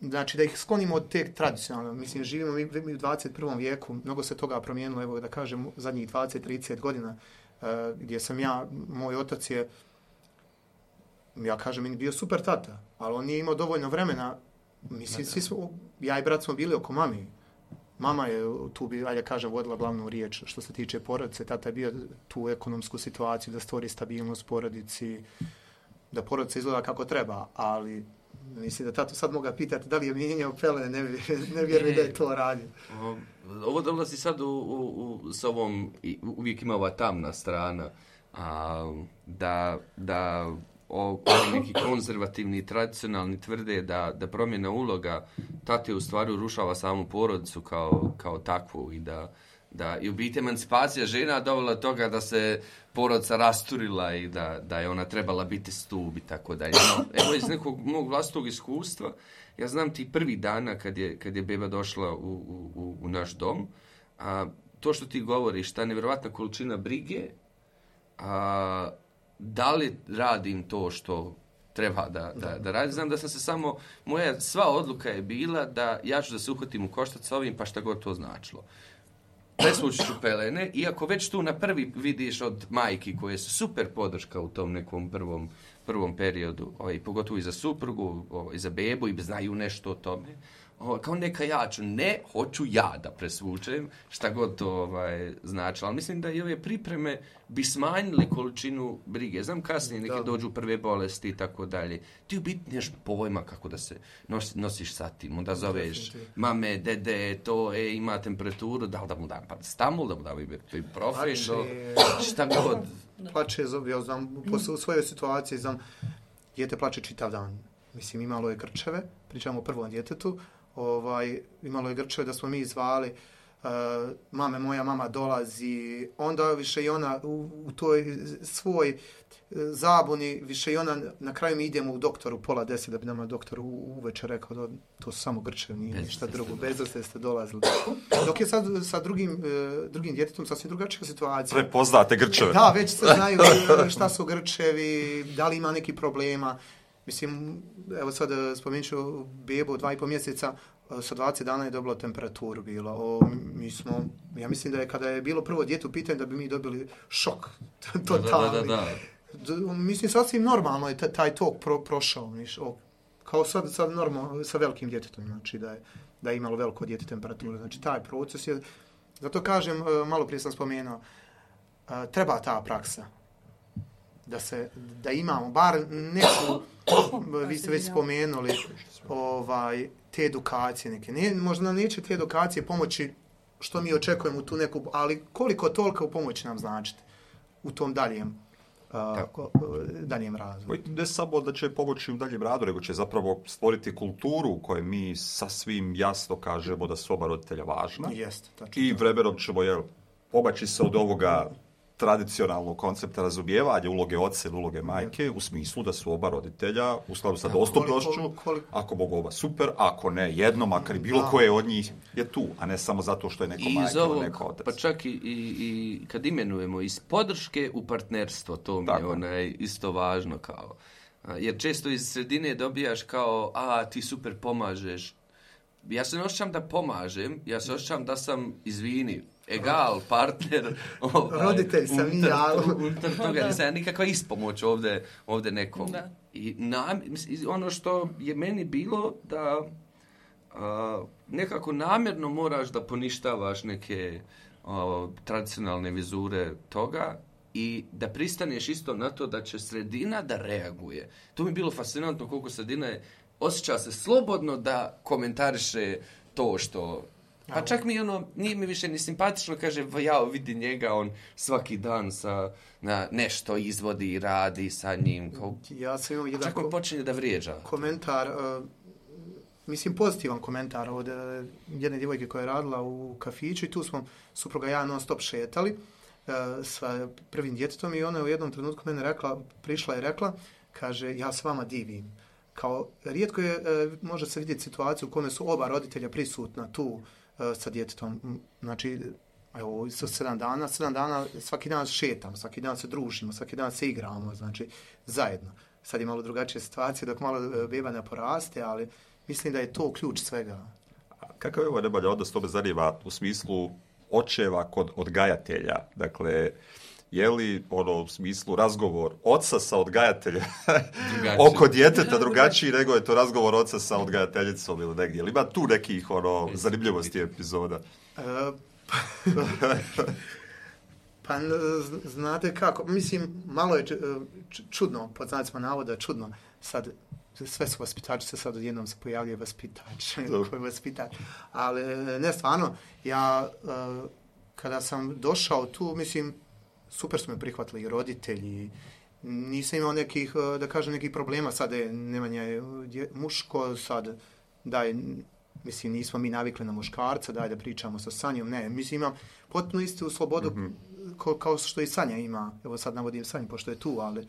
Znači da ih sklonimo od te tradicionalno. Mislim, živimo mi, mi u dvadeset prvom vijeku, mnogo se toga promijenilo, evo da kažem, zadnjih dvadeset do trideset godina, uh, gdje sam ja, moj otac je, ja kažem, bio super tata, ali on nije imao dovoljno vremena. Mislim, svi smo, ja i brat smo bili oko mami. Mama je tu, bi, ajde kažem, vodila glavnu riječ što se tiče porodice. Tata je bio tu ekonomsku situaciju da stvori stabilnost porodici, da porodica izgleda kako treba, ali mislim da tato sad moga pitati da li je mijenjao pelene, ne, ne vjerujem da je to radio. Ovo dolazi sad u, u, u, s ovom, uvijek ima ova tamna strana, a, da, da o, o neki konzervativni i tradicionalni tvrde da, da promjena uloga tate u stvari urušava samu porodicu kao, kao takvu i da, da i u biti emancipacija žena dovela toga da se porodica rasturila i da, da je ona trebala biti stup i tako dalje. No, evo iz nekog mog vlastnog iskustva, ja znam ti prvi dana kad je, kad je beba došla u, u, u naš dom, a, to što ti govoriš, ta nevjerovatna količina brige, a, da li radim to što treba da, da, da radim. Znam da sam se samo, moja sva odluka je bila da ja ću da se uhvatim u koštac s ovim, pa šta god to značilo. Presvući ću pelene, iako već tu na prvi vidiš od majki koje su super podrška u tom nekom prvom, prvom periodu, ovaj, pogotovo i za suprugu, ovaj, i za bebu, i znaju nešto o tome. Ovaj, kao neka ja ću, ne, hoću ja da presvučem, šta god to ovaj, znači. Ali mislim da i ove pripreme bi smanjili količinu brige. Znam kasnije neke dođu prve bolesti i tako dalje. Ti u biti neš pojma kako da se nos, nosiš sa tim. Onda zoveš mame, dede, to, e, ima temperaturu, da li da mu dam paracetamol, da mu dam ibuprofen, šta god. Plače, ja znam, u svojoj situaciji znam, dijete plače čitav dan. Mislim, imalo je grčeve, pričamo o prvom djetetu, ovaj, imalo je grčeve da smo mi zvali, uh, mame, moja mama dolazi, onda više i ona u, u toj svoj uh, zabuni, više i ona, na kraju mi idemo u doktoru pola deset, da bi nama doktor uveče rekao da to su samo grčevi, nije ništa drugo, bez da ste dolazili. Dok je sad sa drugim, uh, drugim djetetom sasvim drugačija situacija. Prepoznate grčeve. Da, već se znaju šta su grčevi, da li ima neki problema. Mislim, evo sad spomenut ću bebu dva i pol mjeseca, sa dvadeset dana je dobila temperaturu bila. O, mi smo, ja mislim da je kada je bilo prvo dijete u pitanju da bi mi dobili šok totalni. Da, da, da, da. Mislim, sasvim normalno je taj tok pro, prošao. Miš, o, kao sad, sad normalno sa velikim djetetom, znači da je, da je imalo veliko dijete temperaturu. Znači taj proces je, zato kažem, malo prije sam spomenuo, treba ta praksa. Da se, da imamo bar neku, vi ste već spomenuli, ovaj, te edukacije neke. Ne, možda neće te edukacije pomoći što mi očekujemo u tu neku, ali koliko toliko u pomoći nam značite u tom daljem, uh, daljem razvoju. Ne samo da će pomoći u daljem radu, nego će zapravo stvoriti kulturu u kojoj mi sasvim jasno kažemo da su oba roditelja važna. Jeste, tačno. I vremenom ćemo, jel, pomaći se od ovoga tradicionalnog koncepta razumijevanja uloge oca ili uloge majke u smislu da su oba roditelja u skladu sa dostupnošću, ako mogu oba super, ako ne jedno, makar i bilo da. Koje od njih je tu, a ne samo zato što je neko majka ili neko otac. Pa čak i, i, i kad imenujemo iz podrške u partnerstvo, to mi je onaj isto važno kao. Jer često iz sredine dobijaš kao, a ti super pomažeš. Ja se ne osjećam da pomažem, ja se osjećam da sam, izvini, egal, partner, ovaj, roditelj sam i ja. Unutar toga, nisam ja nikakva ispomoć ovdje, ovdje nekom. Da. I nam, ono što je meni bilo da a, nekako namjerno moraš da poništavaš neke a, tradicionalne vizure toga i da pristaneš isto na to da će sredina da reaguje. To mi je bilo fascinantno koliko sredina je, osjeća se slobodno da komentariše to što... Pa čak mi ono, nije mi više ni simpatično, kaže, ja vidi njega, on svaki dan sa, na, nešto izvodi i radi sa njim. Kao, ja sam imao jedan čak mi počinje da vrijeđa. Komentar, uh, mislim pozitivan komentar od uh, jedne djevojke koja je radila u kafiću i tu smo supruga ja non stop šetali uh, sa prvim djetetom i ona u jednom trenutku mene rekla, prišla i rekla, kaže, ja s vama divim. Kao, rijetko je, uh, može se vidjeti situaciju u kome su oba roditelja prisutna tu sa djetetom. Znači, evo, sa sedam dana, sedam dana svaki dan šetamo, svaki dan se družimo, svaki dan se igramo, znači, zajedno. Sad je malo drugačija situacija dok malo beba ne poraste, ali mislim da je to ključ svega. Kakav je ovo nebalja odnos tome zanima u smislu očeva kod odgajatelja? Dakle, je li ono u smislu razgovor oca sa odgajateljem oko djeteta drugačiji nego je to razgovor oca sa odgajateljicom ili negdje? Ili ima tu nekih ono zanimljivosti epizoda? Uh, pa znate kako, mislim, malo je čudno, pod znacima navoda čudno, sad sve su vaspitači, se sad odjednom se pojavljuje vaspitač, koji vaspitač, ali ne stvarno, ja kada sam došao tu, mislim, super su me prihvatili i roditelji, nisam imao nekih, da kažem, nekih problema. Sad je Nemanja je muško, sad daj, mislim, nismo mi navikli na muškarca, daj da pričamo sa Sanjom. Ne, mislim, imam potpuno istu slobodu mm-hmm. ko, kao što i Sanja ima. Evo sad navodim Sanju, pošto je tu, ali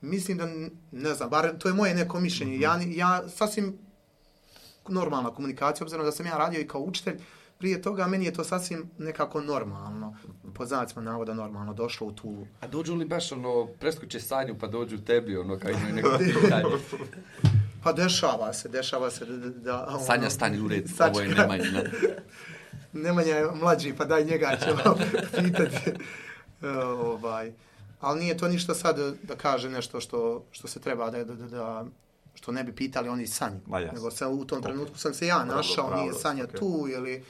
mislim da, ne znam, bar to je moje neko mišljenje. Mm-hmm. Ja, ja sasvim normalna komunikacija, obzirom da sam ja radio i kao učitelj, prije toga meni je to sasvim nekako normalno, pod znacima navoda normalno, došlo u tu... A dođu li baš ono, preskoče Sanju pa dođu tebi, ono, kao imaju neko pitanje? Pa dešava se, dešava se da... da ono, Sanja, stani u red, ovo je Nemanja. Nemanja je mlađi, pa daj njega ćemo pitati. ovaj. Ali nije to ništa sad da kaže nešto što, što se treba da... da, da što ne bi pitali oni Sanju. Nego se, u tom trenutku sam se ja našao, pravo, nije Sanja okay. tu, ili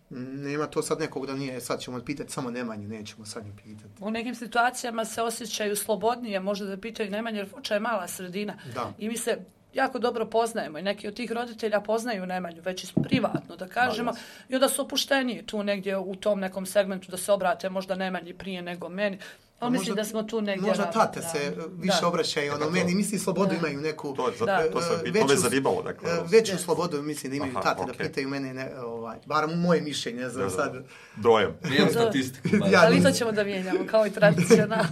nema to sad nekog da nije, sad ćemo pitati samo Nemanju, nećemo Sanju pitati. U nekim situacijama se osjećaju slobodnije, možda da pitaju Nemanju, jer Foča je mala sredina. Da. I mi se jako dobro poznajemo i neki od tih roditelja poznaju Nemanju, već i privatno, da kažemo, da, i onda su opušteniji tu negdje u tom nekom segmentu da se obrate možda Nemanji prije nego meni. Ali mislim možda, da smo tu negdje... Možda tate da, se više da. obraćaju, ono, meni misli slobodu da. imaju neku... To, za, da. to se veću, me zanimalo, dakle. Veću yes. slobodu mislim da imaju Aha, tate, okay. da pitaju mene, ne, ovaj, bar moje mišljenje, ne znam da, sad... Dojam. Nijem statistiku. ja, ali to ćemo da mijenjamo, kao i tradicionalno.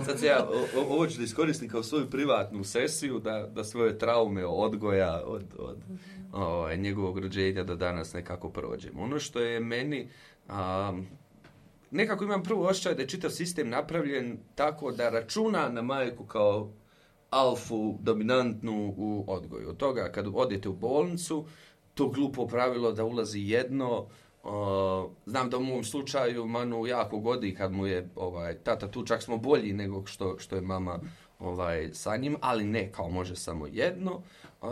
Sad ja, o, ovo ću da iskoristim kao svoju privatnu sesiju, da, da svoje traume odgoja od, od o, njegovog rođenja do danas nekako prođem. Ono što je meni... Um, nekako imam prvo osjećaj da je čitav sistem napravljen tako da računa na majku kao alfu dominantnu u odgoju. Od toga kad odete u bolnicu, to glupo pravilo da ulazi jedno. Uh, znam da u mom slučaju Manu jako godi kad mu je ovaj, tata tu, čak smo bolji nego što, što je mama ovaj, sa njim, ali ne, kao može samo jedno uh,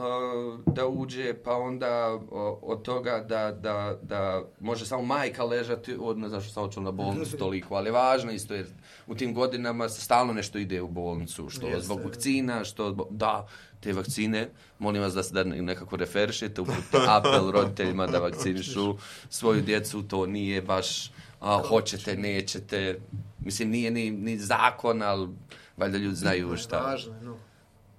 da uđe, pa onda uh, od toga da, da, da može samo majka ležati, od, ne znam što sam očeo na bolnicu toliko, ali važno isto je, u tim godinama stalno nešto ide u bolnicu, što Jeste. zbog vakcina, što zbog, da, te vakcine, molim vas da se da nekako referišete, uputite apel roditeljima da vakcinišu svoju djecu, to nije baš a, hoćete, nećete, mislim nije ni, ni zakon, ali valjda ljudi znaju šta. Važno, no.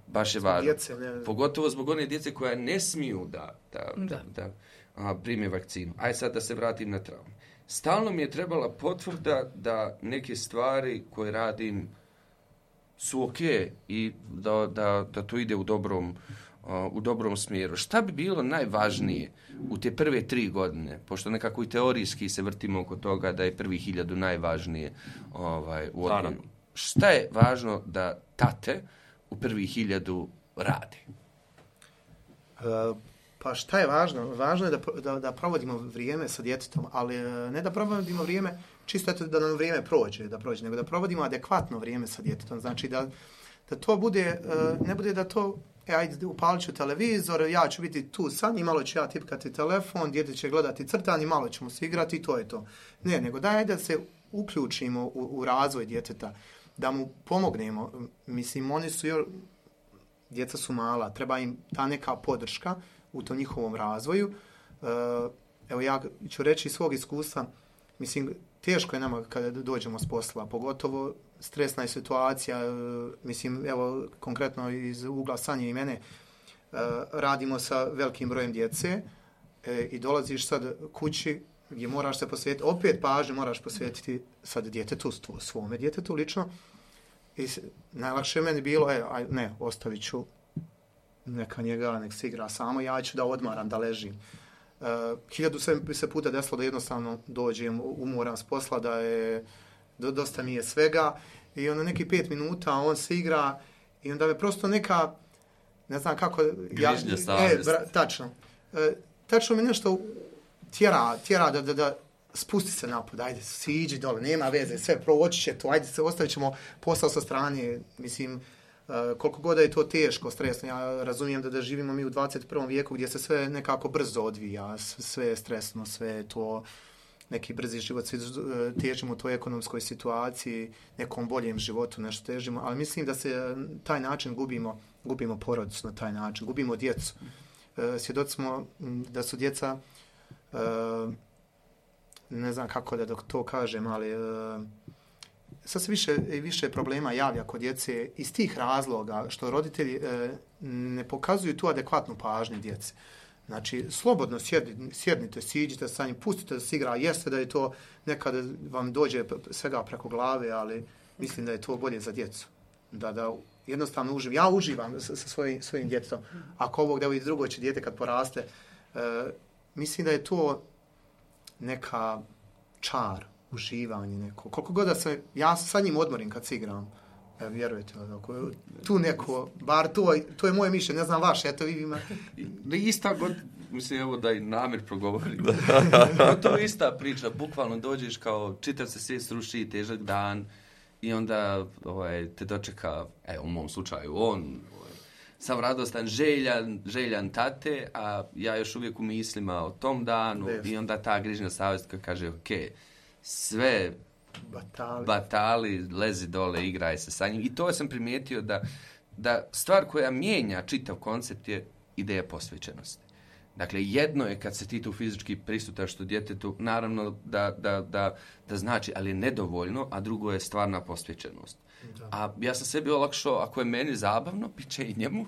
Baš je važno. Djece, ne... Pogotovo zbog one djece koja ne smiju da, da, da. da a, prime vakcinu. Aj sad da se vratim na traumu. Stalno mi je trebala potvrda da neke stvari koje radim su ok i da, da, da to ide u dobrom, uh, u dobrom smjeru. Šta bi bilo najvažnije u te prve tri godine, pošto nekako i teorijski se vrtimo oko toga da je prvi hiljadu najvažnije ovaj, u odgoju. Šta je važno da tate u prvi hiljadu rade? Uh, pa šta je važno? Važno je da, da, da provodimo vrijeme sa djetetom, ali ne da provodimo vrijeme čisto eto da nam vrijeme prođe, da prođe, nego da provodimo adekvatno vrijeme sa djetetom. Znači da, da to bude, uh, ne bude da to, e, ajde, upalit ću televizor, ja ću biti tu sa njim, malo ću ja tipkati telefon, dijete će gledati crtanje, malo ćemo se igrati i to je to. Ne, nego daj da se uključimo u, u razvoj djeteta, da mu pomognemo. Mislim, oni su još, djeca su mala, treba im ta neka podrška u tom njihovom razvoju. Uh, evo ja ću reći iz svog iskustva, mislim, teško je nama kada dođemo s posla, pogotovo stresna je situacija, mislim, evo, konkretno iz ugla Sanje i mene, radimo sa velikim brojem djece i dolaziš sad kući gdje moraš se posvetiti, opet pažnje moraš posvetiti sad djetetu, svome djetetu lično. I najlakše je meni bilo, e, aj, ne, ostavit ću neka njega, nek se igra samo, ja ću da odmaram, da ležim. Uh, hiljadu se, se puta desilo da jednostavno dođem, umoram s posla, da je, do, dosta mi je svega i onda neki pet minuta on se igra i onda me prosto neka, ne znam kako... Grižnja ja, e, bra, tačno. Uh, tačno mi nešto tjera, tjera da, da, da spusti se napod, ajde, siđi dole, nema veze, sve proći će to, ajde, se ostavit ćemo posao sa strane, mislim... Uh, koliko god je to teško, stresno, ja razumijem da, da živimo mi u dvadeset prvom vijeku gdje se sve nekako brzo odvija, sve je stresno, sve je to neki brzi život, svi težimo u toj ekonomskoj situaciji, nekom boljem životu, nešto težimo, ali mislim da se taj način gubimo, gubimo porodicu na taj način, gubimo djecu. Uh, svjedoci smo da su djeca, uh, ne znam kako da to kažem, ali uh, sad se više i više problema javlja kod djece iz tih razloga što roditelji e, ne pokazuju tu adekvatnu pažnju djece. Znači, slobodno sjednite, sjednite siđite sa njim, pustite da se igra, jeste da je to nekada vam dođe svega preko glave, ali mislim da je to bolje za djecu. Da, da jednostavno uživam. Ja uživam sa, sa svojim, svojim djetetom. Ako ovog da i drugo će dijete kad poraste, e, mislim da je to neka čar, uživanje neko. Koliko god da se, ja sa njim odmorim kad se igram, e, vjerujete, ako tu neko, bar to, to je moje mišljenje, ne znam vaše, eto vi ima. Ista god, mislim, evo da i Namir progovori. To je ista priča, bukvalno dođeš kao čitav se svijet sruši, težak dan i onda ovaj, te dočeka, evo u mom slučaju, on, ovaj, sam radostan, željan, željan tate, a ja još uvijek u mislima o tom danu Desno. I onda ta grižnja savjest koja kaže, ok, sve batali. batali, lezi dole, igraj se sa njim. I to sam primijetio da, da stvar koja mijenja čitav koncept je ideja posvećenosti. Dakle, jedno je kad se ti tu fizički prisutaš tu djetetu, naravno da, da, da, da znači, ali je nedovoljno, a drugo je stvarna posvećenost. Da. A ja sam sebi olakšao, ako je meni zabavno, bit će i njemu.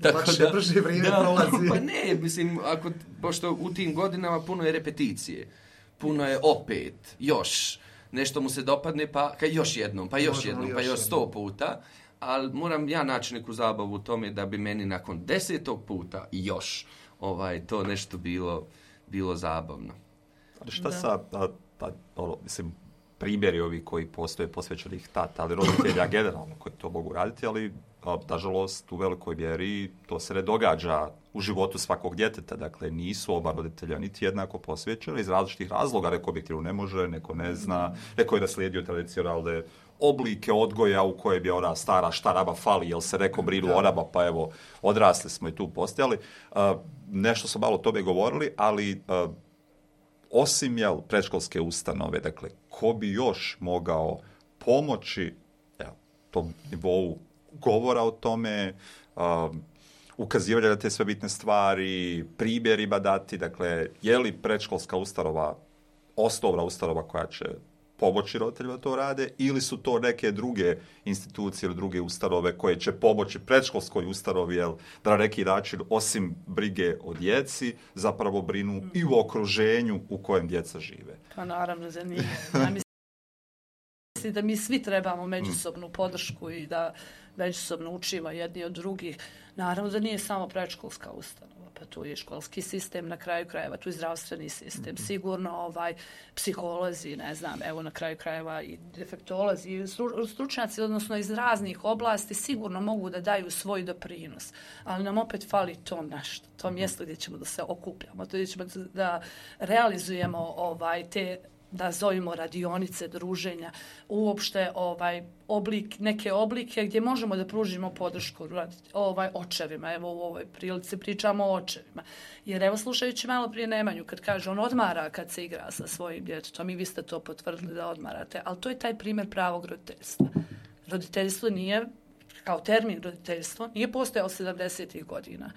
Tako lakše, da, brže vrijeme da, prolazi. Pa ne, mislim, ako, pošto u tim godinama puno je repeticije, puno je opet, još, nešto mu se dopadne, pa ka još jednom, pa još jednom, pa još sto puta, ali moram ja naći neku zabavu u tome da bi meni nakon desetog puta još ovaj, to nešto bilo, bilo zabavno. Ali šta da. sa, a, a, ono, mislim, primjeri ovi koji postoje posvećenih tata, ali roditelja generalno koji to mogu raditi, ali a, nažalost u velikoj mjeri to se ne događa u životu svakog djeteta, dakle nisu oba roditelja niti jednako posvećeni iz različitih razloga, neko objektivno ne može, neko ne zna, neko je naslijedio tradicionalne oblike odgoja u kojem je ona stara šta raba fali, jel se neko brinu o raba, pa evo odrasli smo i tu postojali. Uh, nešto smo malo o tome govorili, ali uh, osim jel, predškolske ustanove, dakle, ko bi još mogao pomoći jel, tom nivou govora o tome, uh, ukazivanja na te sve bitne stvari, primjerima dati, dakle, je li predškolska ustanova osnovna ustanova koja će pomoći roditeljima to rade, ili su to neke druge institucije ili druge ustanove koje će pomoći predškolskoj ustanovi, jel, da na neki način, osim brige o djeci, zapravo brinu mm. i u okruženju u kojem djeca žive. Pa naravno, zanimljivo. Ja mislim da mi svi trebamo međusobnu podršku i da međusobno učimo jedni od drugih. Naravno da nije samo predškolska ustanova, pa tu je školski sistem na kraju krajeva, tu je zdravstveni sistem, sigurno ovaj psiholozi, ne znam, evo na kraju krajeva i defektolozi, i stručnjaci, odnosno iz raznih oblasti, sigurno mogu da daju svoj doprinos, ali nam opet fali to nešto, to mjesto gdje ćemo da se okupljamo, to gdje ćemo da realizujemo ovaj te, da zovemo radionice, druženja, uopšte ovaj oblik, neke oblike gdje možemo da pružimo podršku ovaj očevima. Evo u ovoj prilici pričamo o očevima. Jer evo slušajući malo prije Nemanju, kad kaže on odmara kad se igra sa svojim djetetom, i vi ste to potvrdili da odmarate, ali to je taj primjer pravog roditeljstva. Roditeljstvo nije, kao termin roditeljstvo, nije postojao sedamdesetih godina.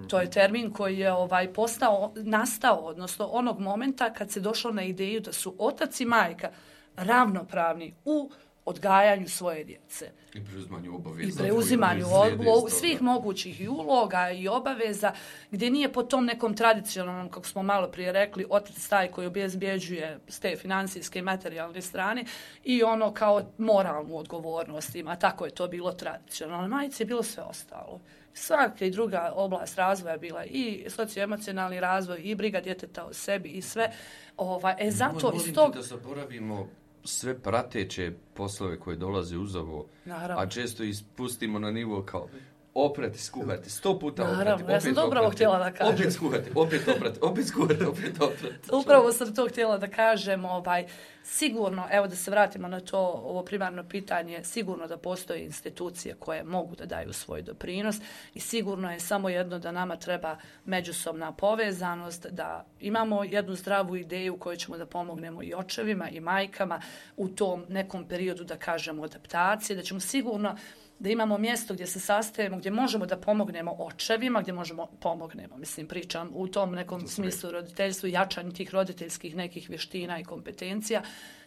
To je termin koji je ovaj postao, nastao, odnosno onog momenta kad se došlo na ideju da su otac i majka ravnopravni u odgajanju svoje djece. I preuzimanju obaveza. I preuzimanju o, svih mogućih i uloga i obaveza, gdje nije po tom nekom tradicionalnom, kako smo malo prije rekli, otac taj koji obezbjeđuje s te financijske i materijalne strane i ono kao moralnu odgovornost ima. Tako je to bilo tradicionalno. Majice je bilo sve ostalo. Svaka i druga oblast razvoja bila i socioemocionalni razvoj i briga djeteta o sebi i sve. Ova, e zato iz tog... da zaboravimo sve prateće poslove koje dolaze uz ovo, naravno. A često ispustimo na nivo kao oprati, skuhati, sto puta oprati, naravno, opet ja sam to upravo htjela da kažem. Opet skuhati, opet oprati, opet skuhati, opet oprati. Upravo sam to htjela da kažem, ovaj, sigurno, evo da se vratimo na to, ovo primarno pitanje, sigurno da postoje institucije koje mogu da daju svoj doprinos i sigurno je samo jedno da nama treba međusobna povezanost, da imamo jednu zdravu ideju koju ćemo da pomognemo i očevima i majkama u tom nekom periodu, da kažemo, adaptacije, da ćemo sigurno da imamo mjesto gdje se sastajemo, gdje možemo da pomognemo očevima, gdje možemo pomognemo, mislim, pričam u tom nekom smislu roditeljstvu, jačanju tih roditeljskih nekih vještina i kompetencija.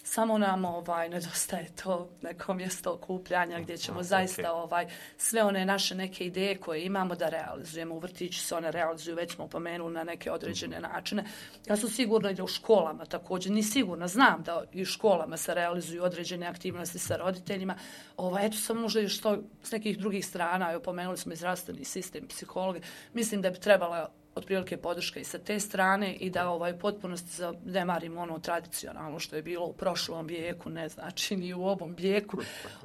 Samo nam ovaj, nedostaje to neko mjesto okupljanja gdje ćemo A, zaista okay. ovaj, sve one naše neke ideje koje imamo da realizujemo. U vrtiću se one realizuju, već smo pomenuli na neke određene mm-hmm. načine. Ja sam sigurna i da u školama također, ni sigurno, znam da i u školama se realizuju određene aktivnosti sa roditeljima. Ovaj, eto sam možda još to s nekih drugih strana, evo pomenuli smo i zdravstveni sistem, psihologi. Mislim da bi trebala otprilike podrška i sa te strane i da ovaj potpunosti zanemarimo ono tradicionalno što je bilo u prošlom vijeku, ne znači ni u ovom vijeku,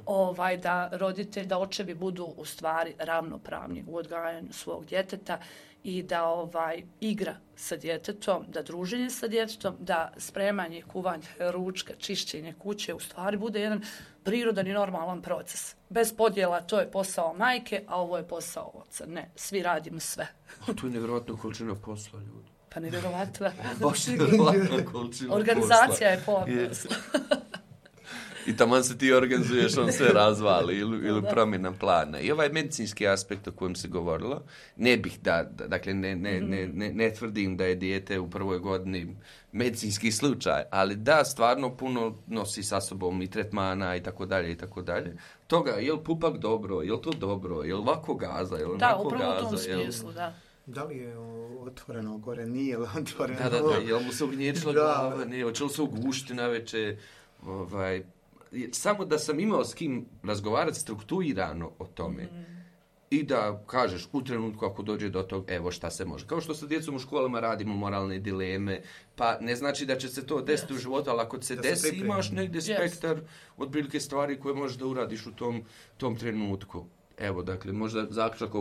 ovaj, da roditelj, da očevi budu u stvari ravnopravni u odgajanju svog djeteta i da ovaj igra sa djetetom, da druženje sa djetetom, da spremanje, kuvanje ručka, čišćenje kuće u stvari bude jedan prirodan i normalan proces. Bez podjela, to je posao majke, a ovo je posao oca. Ne, svi radimo sve. A to je nevjerojatno količina posla, ljudi. Pa nevjerojatno. Baš nevjerojatna količina Organizacija je pola posla. I taman se ti organizuješ, on sve razvali ili, ili promjena plana. I ovaj medicinski aspekt o kojem se govorilo, ne bih da, da dakle, ne, ne, ne, ne, ne tvrdim da je dijete u prvoj godini medicinski slučaj, ali da, stvarno puno nosi sa sobom i tretmana i tako dalje i tako dalje. Toga, je li pupak dobro, je li to dobro, je li ovako gaza, je li onako gaza? Da, upravo u tom smislu, da. Da li je otvoreno gore, nije li otvoreno? Da, da, da, je li mu se ugnječila glava, nije, hoće li se ugušiti na večer, ovaj... Samo da sam imao s kim razgovarati strukturirano o tome mm. i da kažeš u trenutku ako dođe do tog, evo šta se može. Kao što sa djecom u školama radimo moralne dileme, pa ne znači da će se to desiti yes. u životu, ali ako se da desi se imaš negdje yes. spektar od prilike stvari koje možeš da uradiš u tom, tom trenutku. Evo, dakle, možda zaključak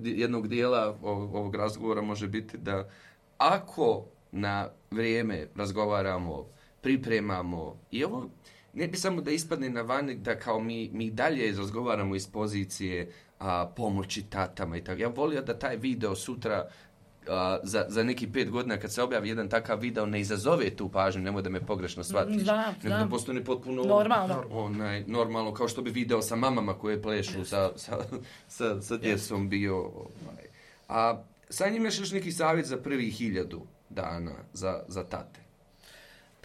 jednog dijela ovog razgovora može biti da ako na vrijeme razgovaramo, pripremamo i ovo, ne bi samo da ispadne na van da kao mi, mi dalje razgovaramo iz pozicije a, pomoći tatama i tako. Ja volio da taj video sutra a, za, za neki pet godina kad se objavi jedan takav video ne izazove tu pažnju, nemoj da me pogrešno shvatiš. Da, nego da postane potpuno normalno. Onaj, normalno, kao što bi video sa mamama koje plešu sa, sa, sa, sa djecom bio. Ovaj. A sad imaš još neki savjet za prvih hiljadu dana za, za tate?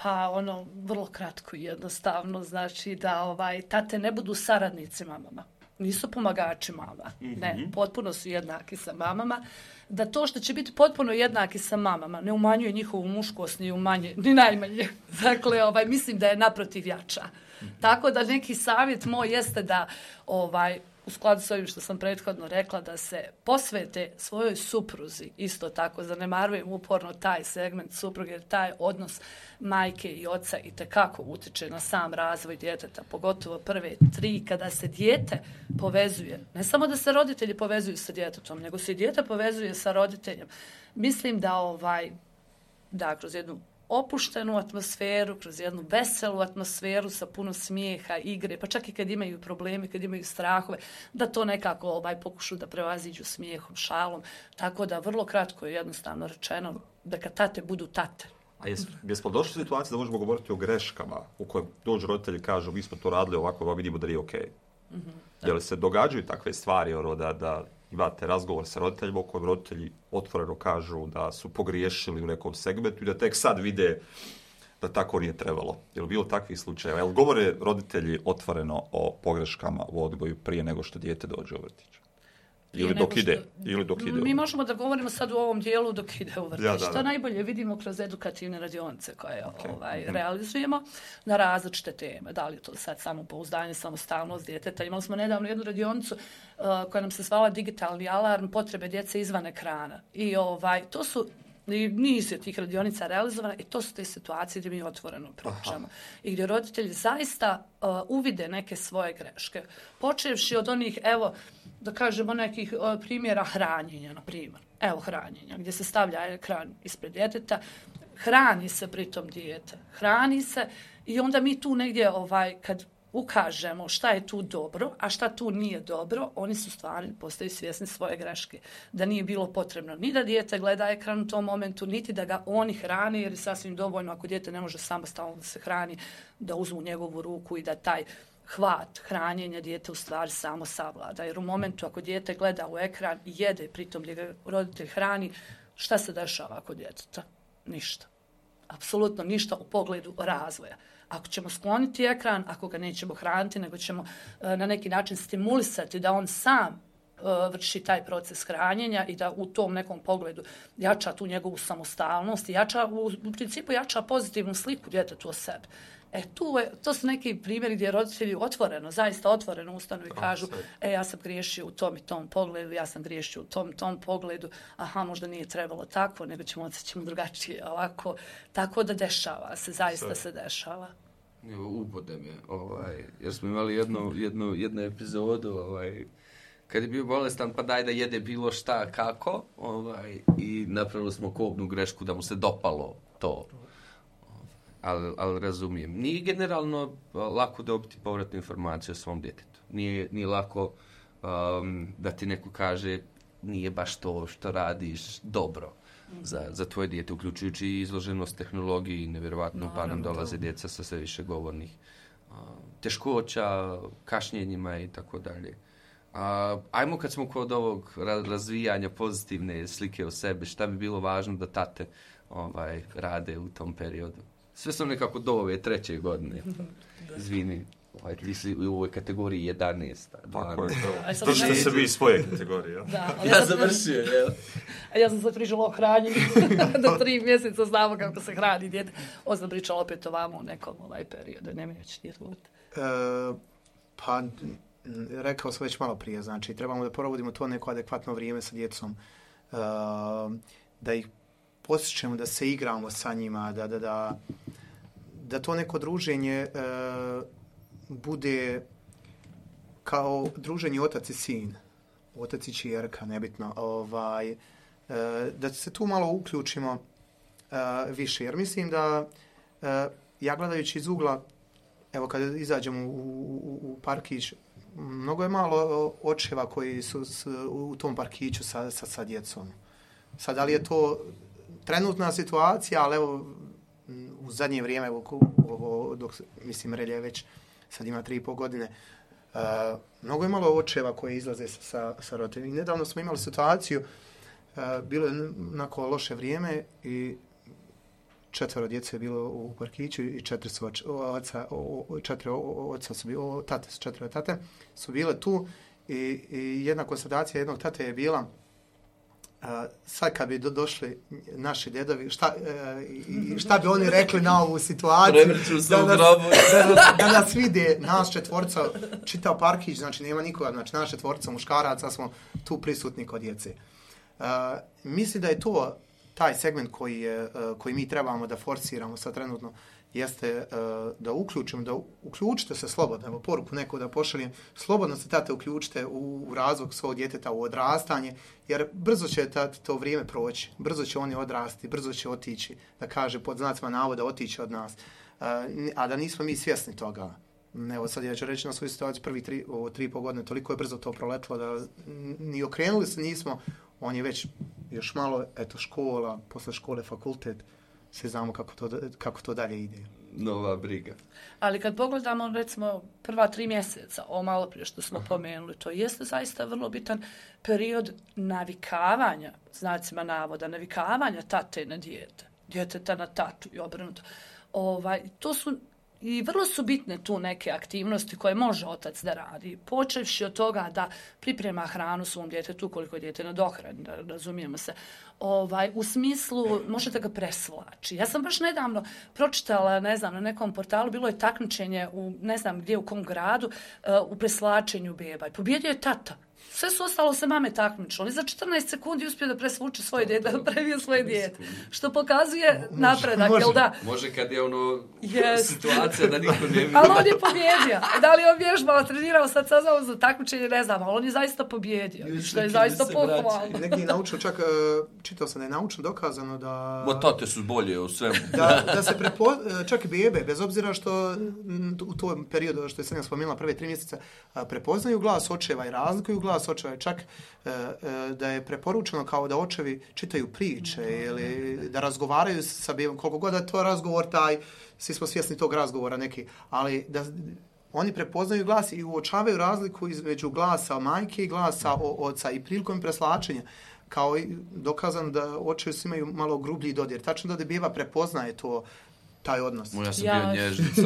Pa ono, vrlo kratko i jednostavno, znači da ovaj, tate ne budu saradnici mamama. Nisu pomagači mama. Mm-hmm. Ne, potpuno su jednaki sa mamama. Da to što će biti potpuno jednaki sa mamama ne umanjuje njihovu muškost, ni umanje, ni najmanje. Dakle, ovaj, mislim da je naprotiv jača. Mm-hmm. Tako da neki savjet moj jeste da ovaj, u skladu s ovim što sam prethodno rekla, da se posvete svojoj supruzi, isto tako, zanemarujem uporno taj segment supruge, jer taj odnos majke i oca itekako utiče na sam razvoj djeteta, pogotovo prve tri, kada se dijete povezuje, ne samo da se roditelji povezuju sa djetetom, nego se i dijete povezuje sa roditeljem. Mislim da ovaj, da kroz jednu opuštenu atmosferu, kroz jednu veselu atmosferu sa puno smijeha, igre, pa čak i kad imaju probleme, kad imaju strahove, da to nekako ovaj, pokušu da prevaziđu smijehom, šalom. Tako da vrlo kratko je jednostavno rečeno da kad tate budu tate. A jes, jesmo došli u situaciju da možemo govoriti o greškama u kojoj dođu roditelji kažu mi smo to radili ovako, ovako vidimo da nije okej. Okay. Mm-hmm. Je li se događaju takve stvari, ono, da, da imate razgovor sa roditeljima u kojem roditelji otvoreno kažu da su pogriješili u nekom segmentu i da tek sad vide da tako nije trebalo? Je li bilo takvih slučajeva? Je li govore roditelji otvoreno o pogreškama u odgoju prije nego što dijete dođe u vrtić? Ili dok ide? Što, ili dok ide? Mi možemo da govorimo sad u ovom dijelu dok ide u vrtić. Ja, da, da. To najbolje vidimo kroz edukativne radionice koje okay. ovaj, mm-hmm. realizujemo na različite teme. Da li je to sad samopouzdanje, samostalnost djeteta. Imali smo nedavno jednu radionicu uh, koja nam se zvala digitalni alarm, potrebe djece izvan ekrana. I ovaj, to su i niz je tih radionica realizovana i to su te situacije gdje mi otvoreno pričamo. Aha. I gdje roditelji zaista uh, uvide neke svoje greške. Počevši od onih, evo, da kažemo nekih uh, primjera hranjenja, na primjer. Evo hranjenja, gdje se stavlja ekran ispred djeteta, hrani se pritom dijete, hrani se i onda mi tu negdje, ovaj, kad ukažemo šta je tu dobro, a šta tu nije dobro, oni su stvarno postaju svjesni svoje greške. Da nije bilo potrebno ni da dijete gleda ekran u tom momentu, niti da ga oni hrani, jer je sasvim dovoljno ako dijete ne može samostalno da se hrani, da uzmu njegovu ruku i da taj hvat hranjenja dijete u stvari samo savlada. Jer u momentu ako dijete gleda u ekran i jede, pritom gdje ga roditelj hrani, šta se dešava kod djeteta? Ništa. Apsolutno ništa u pogledu razvoja. Ako ćemo skloniti ekran, ako ga nećemo hraniti, nego ćemo e, na neki način stimulisati da on sam e, vrši taj proces hranjenja i da u tom nekom pogledu jača tu njegovu samostalnost i jača, u, u principu jača pozitivnu sliku djetetu o sebi. E, tu je, to su neki primjeri gdje roditelji otvoreno, zaista otvoreno ustanu i kažu, e, ja sam griješio u tom i tom pogledu, ja sam griješio u tom i tom pogledu, aha, možda nije trebalo tako, nego ćemo odsjećemo drugačije, ovako, tako da dešava se, zaista se dešava. Ubode me, ovaj, jer smo imali jednu, jednu, jednu epizodu, ovaj, kad je bio bolestan, pa daj da jede bilo šta, kako, ovaj, i napravili smo kobnu grešku da mu se dopalo to. Ali, ali razumijem. Nije generalno lako dobiti povratnu informaciju o svom djetetu. Nije, nije lako um, da ti neko kaže nije baš to što radiš dobro za, za tvoje dijete, uključujući i izloženost tehnologiji i nevjerovatno pa nam dolaze djeca sa sve više govornih uh, teškoća, kašnjenjima i tako dalje. Uh, ajmo kad smo kod ovog razvijanja pozitivne slike o sebi, šta bi bilo važno da tate ovaj, rade u tom periodu? Sve su nekako do ove treće godine. Izvini, ovaj, ti si u ovoj kategoriji jedanaest. Tako je to. To što se vi iz svoje kategorije. Da, ja sam završio, jel? A ja sam se pričala o hranjenju. Do tri mjeseca znamo kako se hrani dijete. Ovo sam pričala opet o vama u nekom ovaj periodu. Nemoj ću ti odgovoriti. E, pa, rekao sam već malo prije. Znači, trebamo da provodimo to neko adekvatno vrijeme sa djecom. E, da ih posjećamo, da se igramo sa njima, da, da, da, da to neko druženje e, bude kao druženje otac i sin, otac i ćerka, nebitno, ovaj, e, da se tu malo uključimo e, više, jer mislim da e, ja gledajući iz ugla, evo kad izađemo u, u, u parkić, mnogo je malo očeva koji su s, u tom parkiću sa, sa, sa djecom. Sad, da li je to trenutna situacija, ali evo u zadnje vrijeme, evo, ovo, dok, mislim, Relje već sad ima tri i pol godine, uh, mnogo je malo očeva koji izlaze sa, sa, sa roditeljima. I nedavno smo imali situaciju, uh, bilo je onako loše vrijeme i četvero djece je bilo u parkiću i četiri su oca, četiri oca su bili, tate su četiri tate, su bile tu i, i jedna konstatacija jednog tate je bila, Uh, sad kad bi do, došli naši djedovi, šta, uh, šta bi oni rekli na ovu situaciju? Da nas, da, nas, da nas vide, nas četvorca, čitav parkić, znači nema nikoga, znači naša četvorca muškaraca smo tu prisutni kod djece. Uh, mislim da je to taj segment koji, je, uh, koji mi trebamo da forsiramo sad trenutno, jeste uh, da uključimo, da uključite se slobodno, evo poruku neko da pošaljem, slobodno se tate uključite u, u razvoj svog djeteta, u odrastanje, jer brzo će tate to vrijeme proći, brzo će oni odrasti, brzo će otići, da kaže pod znacima navoda otići od nas, uh, a da nismo mi svjesni toga. Evo sad ja ću reći na svoju situaciju, prvi tri, ovo, tri i pol godine, toliko je brzo to proletlo da ni okrenuli se nismo, on je već još malo, eto, škola, posle škole fakultet, svi znamo kako to, kako to dalje ide. Nova briga. Ali kad pogledamo, recimo, prva tri mjeseca, ovo malo prije što smo pomenuli, to jeste zaista vrlo bitan period navikavanja, znacima navoda, navikavanja tate na dijete, djeteta na tatu i obrnuto. Ovaj, to su i vrlo su bitne tu neke aktivnosti koje može otac da radi, počevši od toga da priprema hranu svom djetetu koliko je dijete na dohrani, da razumijemo se. Ovaj, u smislu, možete ga presvlači. Ja sam baš nedavno pročitala, ne znam, na nekom portalu, bilo je takmičenje u, ne znam gdje, u kom gradu, uh, u preslačenju beba. I pobjedio je tata. Sve su ostalo se mame takmičilo. On za četrnaest sekundi uspio da presvuče svoje dijete, da previje svoje dijete. Što pokazuje napredak, jel da? Može kad je ono yes. situacija da niko ne vidi. Ali on je pobjedio. Da li on vježbao, trenirao, sad saznao za takmičenje, ne znam, ali on je zaista pobjedio. Što je zaista pohvalno. Negdje je naučio, čak čitao sam da je naučno dokazano da... Bo tate su bolje u svemu. Da, da se prepo... čak i bebe, bez obzira što u tom periodu, što je sam spomenula prve tri mjeseca, prepoznaju glas očeva i razlikuju glas očeva. Čak da je preporučeno kao da očevi čitaju priče ili da razgovaraju sa bebom, koliko god da to razgovor taj, svi smo svjesni tog razgovora neki, ali da oni prepoznaju glas i uočavaju razliku između glasa majke i glasa oca i prilikom preslačenja. Kao i dokazano da očevi su imaju malo grublji dodir. Tačno da beba prepoznaje to, taj odnos. Ja sam Ja- bio nježnica.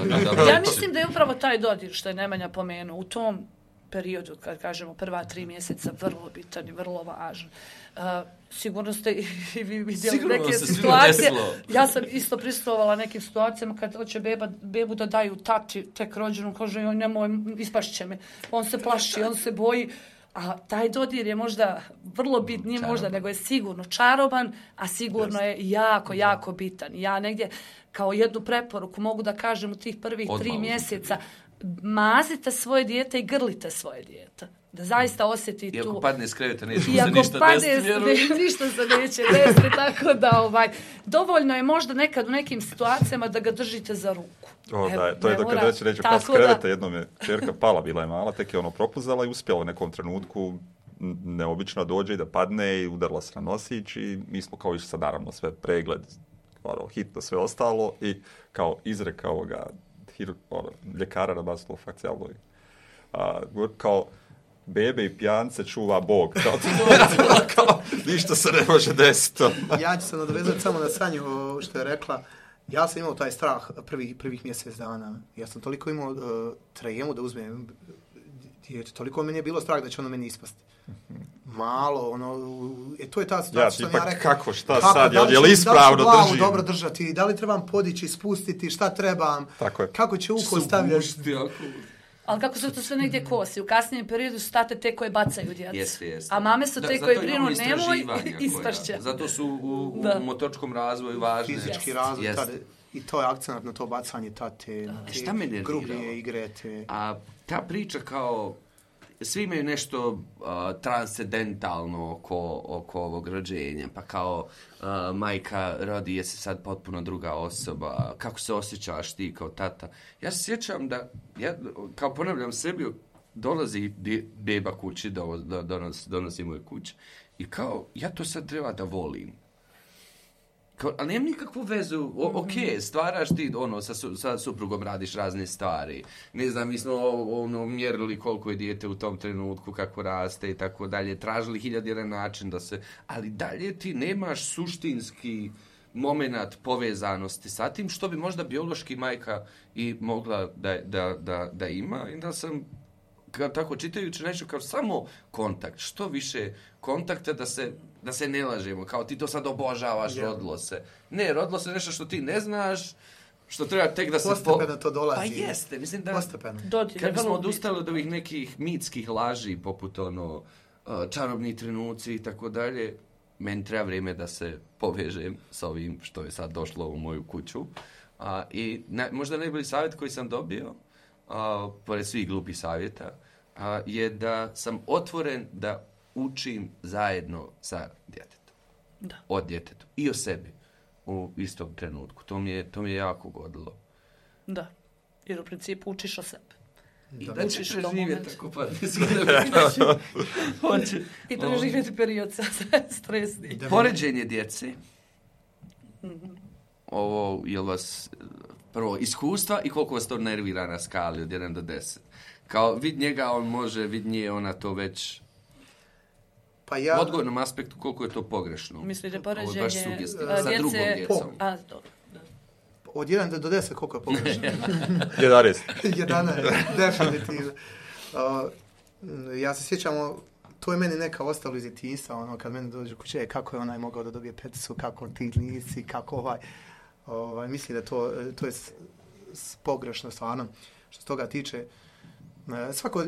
Ja mislim da je upravo taj dodir što je Nemanja pomenuo u tom periodu, kad kažemo prva tri mjeseca, vrlo bitan i vrlo važan. Uh, sigurno ste i vi vidjeli Sigurno neke se svima situacije. desilo. Ja sam isto prisustvovala nekim situacijama kad hoće beba, bebu da daju tati tek rođenu, kaže joj nemoj, ispašće me. On se plaši, on se boji. A taj dodir je možda vrlo bit, nije možda, nego je sigurno čaroban, a sigurno je jako, jako bitan. Ja negdje kao jednu preporuku mogu da kažem u tih prvih Odmah tri uzmite. mjeseca, mazite svoje dijete i grlite svoje dijete. Da zaista osjeti I ako tu... padne s kreveta, neće mu I se ako ništa padne, desiti, vjerujem. ne- ništa se neće desiti, tako da ovaj, dovoljno je možda nekad u nekim situacijama da ga držite za ruku. O, Evo, da, to je ne dok kad mora- već neće tako pas da- kreveta, jednom je čerka pala, bila je mala, tek je ono propuzala i uspjela u nekom trenutku n- neobično dođe i da padne i udarila se na nosić i mi smo kao išli sad naravno sve pregled, ono, hitno sve ostalo i kao izreka ovoga hir, ono, ljekara na maslovu fakcijalnoj. A, kao bebe i pijance čuva Bog. Kao, kao, ništa se ne može desiti. Ja ću se nadovezati samo na Sanju o, što je rekla. Ja sam imao taj strah prvih, prvih mjesec dana. Ja sam toliko imao uh, tremu da uzmem dijete. Toliko meni je bilo strah da će ono meni ispasti. Malo, ono, e, to je ta situacija Ja, što sam tipak, ja rekao. kako, šta sad, da jel- li jel ću- ispravno da li ću glavu držim? dobro držati, da li trebam podići, spustiti, šta trebam, Tako je. kako će uko Su stavljati. gušti, ako- Ali kako se to sve negdje kosi? U kasnijem periodu su tate te koje bacaju djecu. Jeste, jeste. A mame su Da, te zato koje imamo brinu nemoj, istraživanja koja- ispašće. Zato su u, u Da. motoričkom razvoju važne. Fizički Jest. razvoj, Jest. tada, i to je akcenat na to bacanje tate, na te Šta me nerviralo? grublje igre, te... A ta priča kao, svi imaju nešto uh, transcendentalno oko, oko ovog rođenja, pa kao uh, majka rodi, jesi sad potpuno druga osoba, kako se osjećaš ti kao tata. Ja se sjećam da, ja kao ponavljam sebi, dolazi di- beba kući, do, do, donosi, donosi moje kuće i kao, ja to sad treba da volim. Kao, ali nemam nikakvu vezu, o, ok, stvaraš ti, ono, sa, su, sa suprugom radiš razne stvari. Ne znam, mi smo ono, mjerili koliko je dijete u tom trenutku, kako raste i tako dalje, tražili hiljad jedan način da se, ali dalje ti nemaš suštinski moment povezanosti sa tim, što bi možda biološki majka i mogla da, da, da, da ima. I da sam, kao tako čitajući nešto, kao samo kontakt, što više kontakta da se, da se ne lažemo, kao ti to sad obožavaš, Ja. rodilo se. Ne, rodilo se nešto što ti ne znaš, što treba tek da se... Postepeno to dolazi. Pa jeste, mislim da... Postepeno. Dodir je Kad bismo vrlo odustali od ovih nekih mitskih laži, poput ono, uh, čarobni trenuci i tako dalje, meni treba vrijeme da se povežem sa ovim što je sad došlo u moju kuću. Uh, I na, možda najbolji savjet koji sam dobio, uh, pored svih glupih savjeta, uh, je da sam otvoren da učim zajedno sa djetetom. Da. Od djetetu. I o sebi. U istom trenutku. To mi je, to mi je jako godilo. Da. Jer u principu učiš o sebi. I Da. da Učiš ćeš u tom živjeti momentu. tako pa ne Hoće. I preživjeti period sa stresni. Poređenje djece. Ovo, jel vas, prvo, iskustva i koliko vas to nervira na skali od jedan do deset. Kao, vid njega on može, vid nje ona to već... Pa U ja, odgojnom aspektu koliko je to pogrešno. Mislite Ovo je poređenje baš sugestivno. a, Sa djece- drugom djecom. A, dobro. Da. od jedan do deset koliko je pogrešno? jedanaest. jedanaest, definitivno. Uh, ja se sjećam, to je meni neka ostalo iz djetinjstva, ono, kad meni dođe kuće, kako je onaj mogao da dobije peticu, kako ti nisi, kako ovaj, ovaj, mislim da to, to je s, s pogrešno stvarno, što se toga tiče. Uh, svako uh,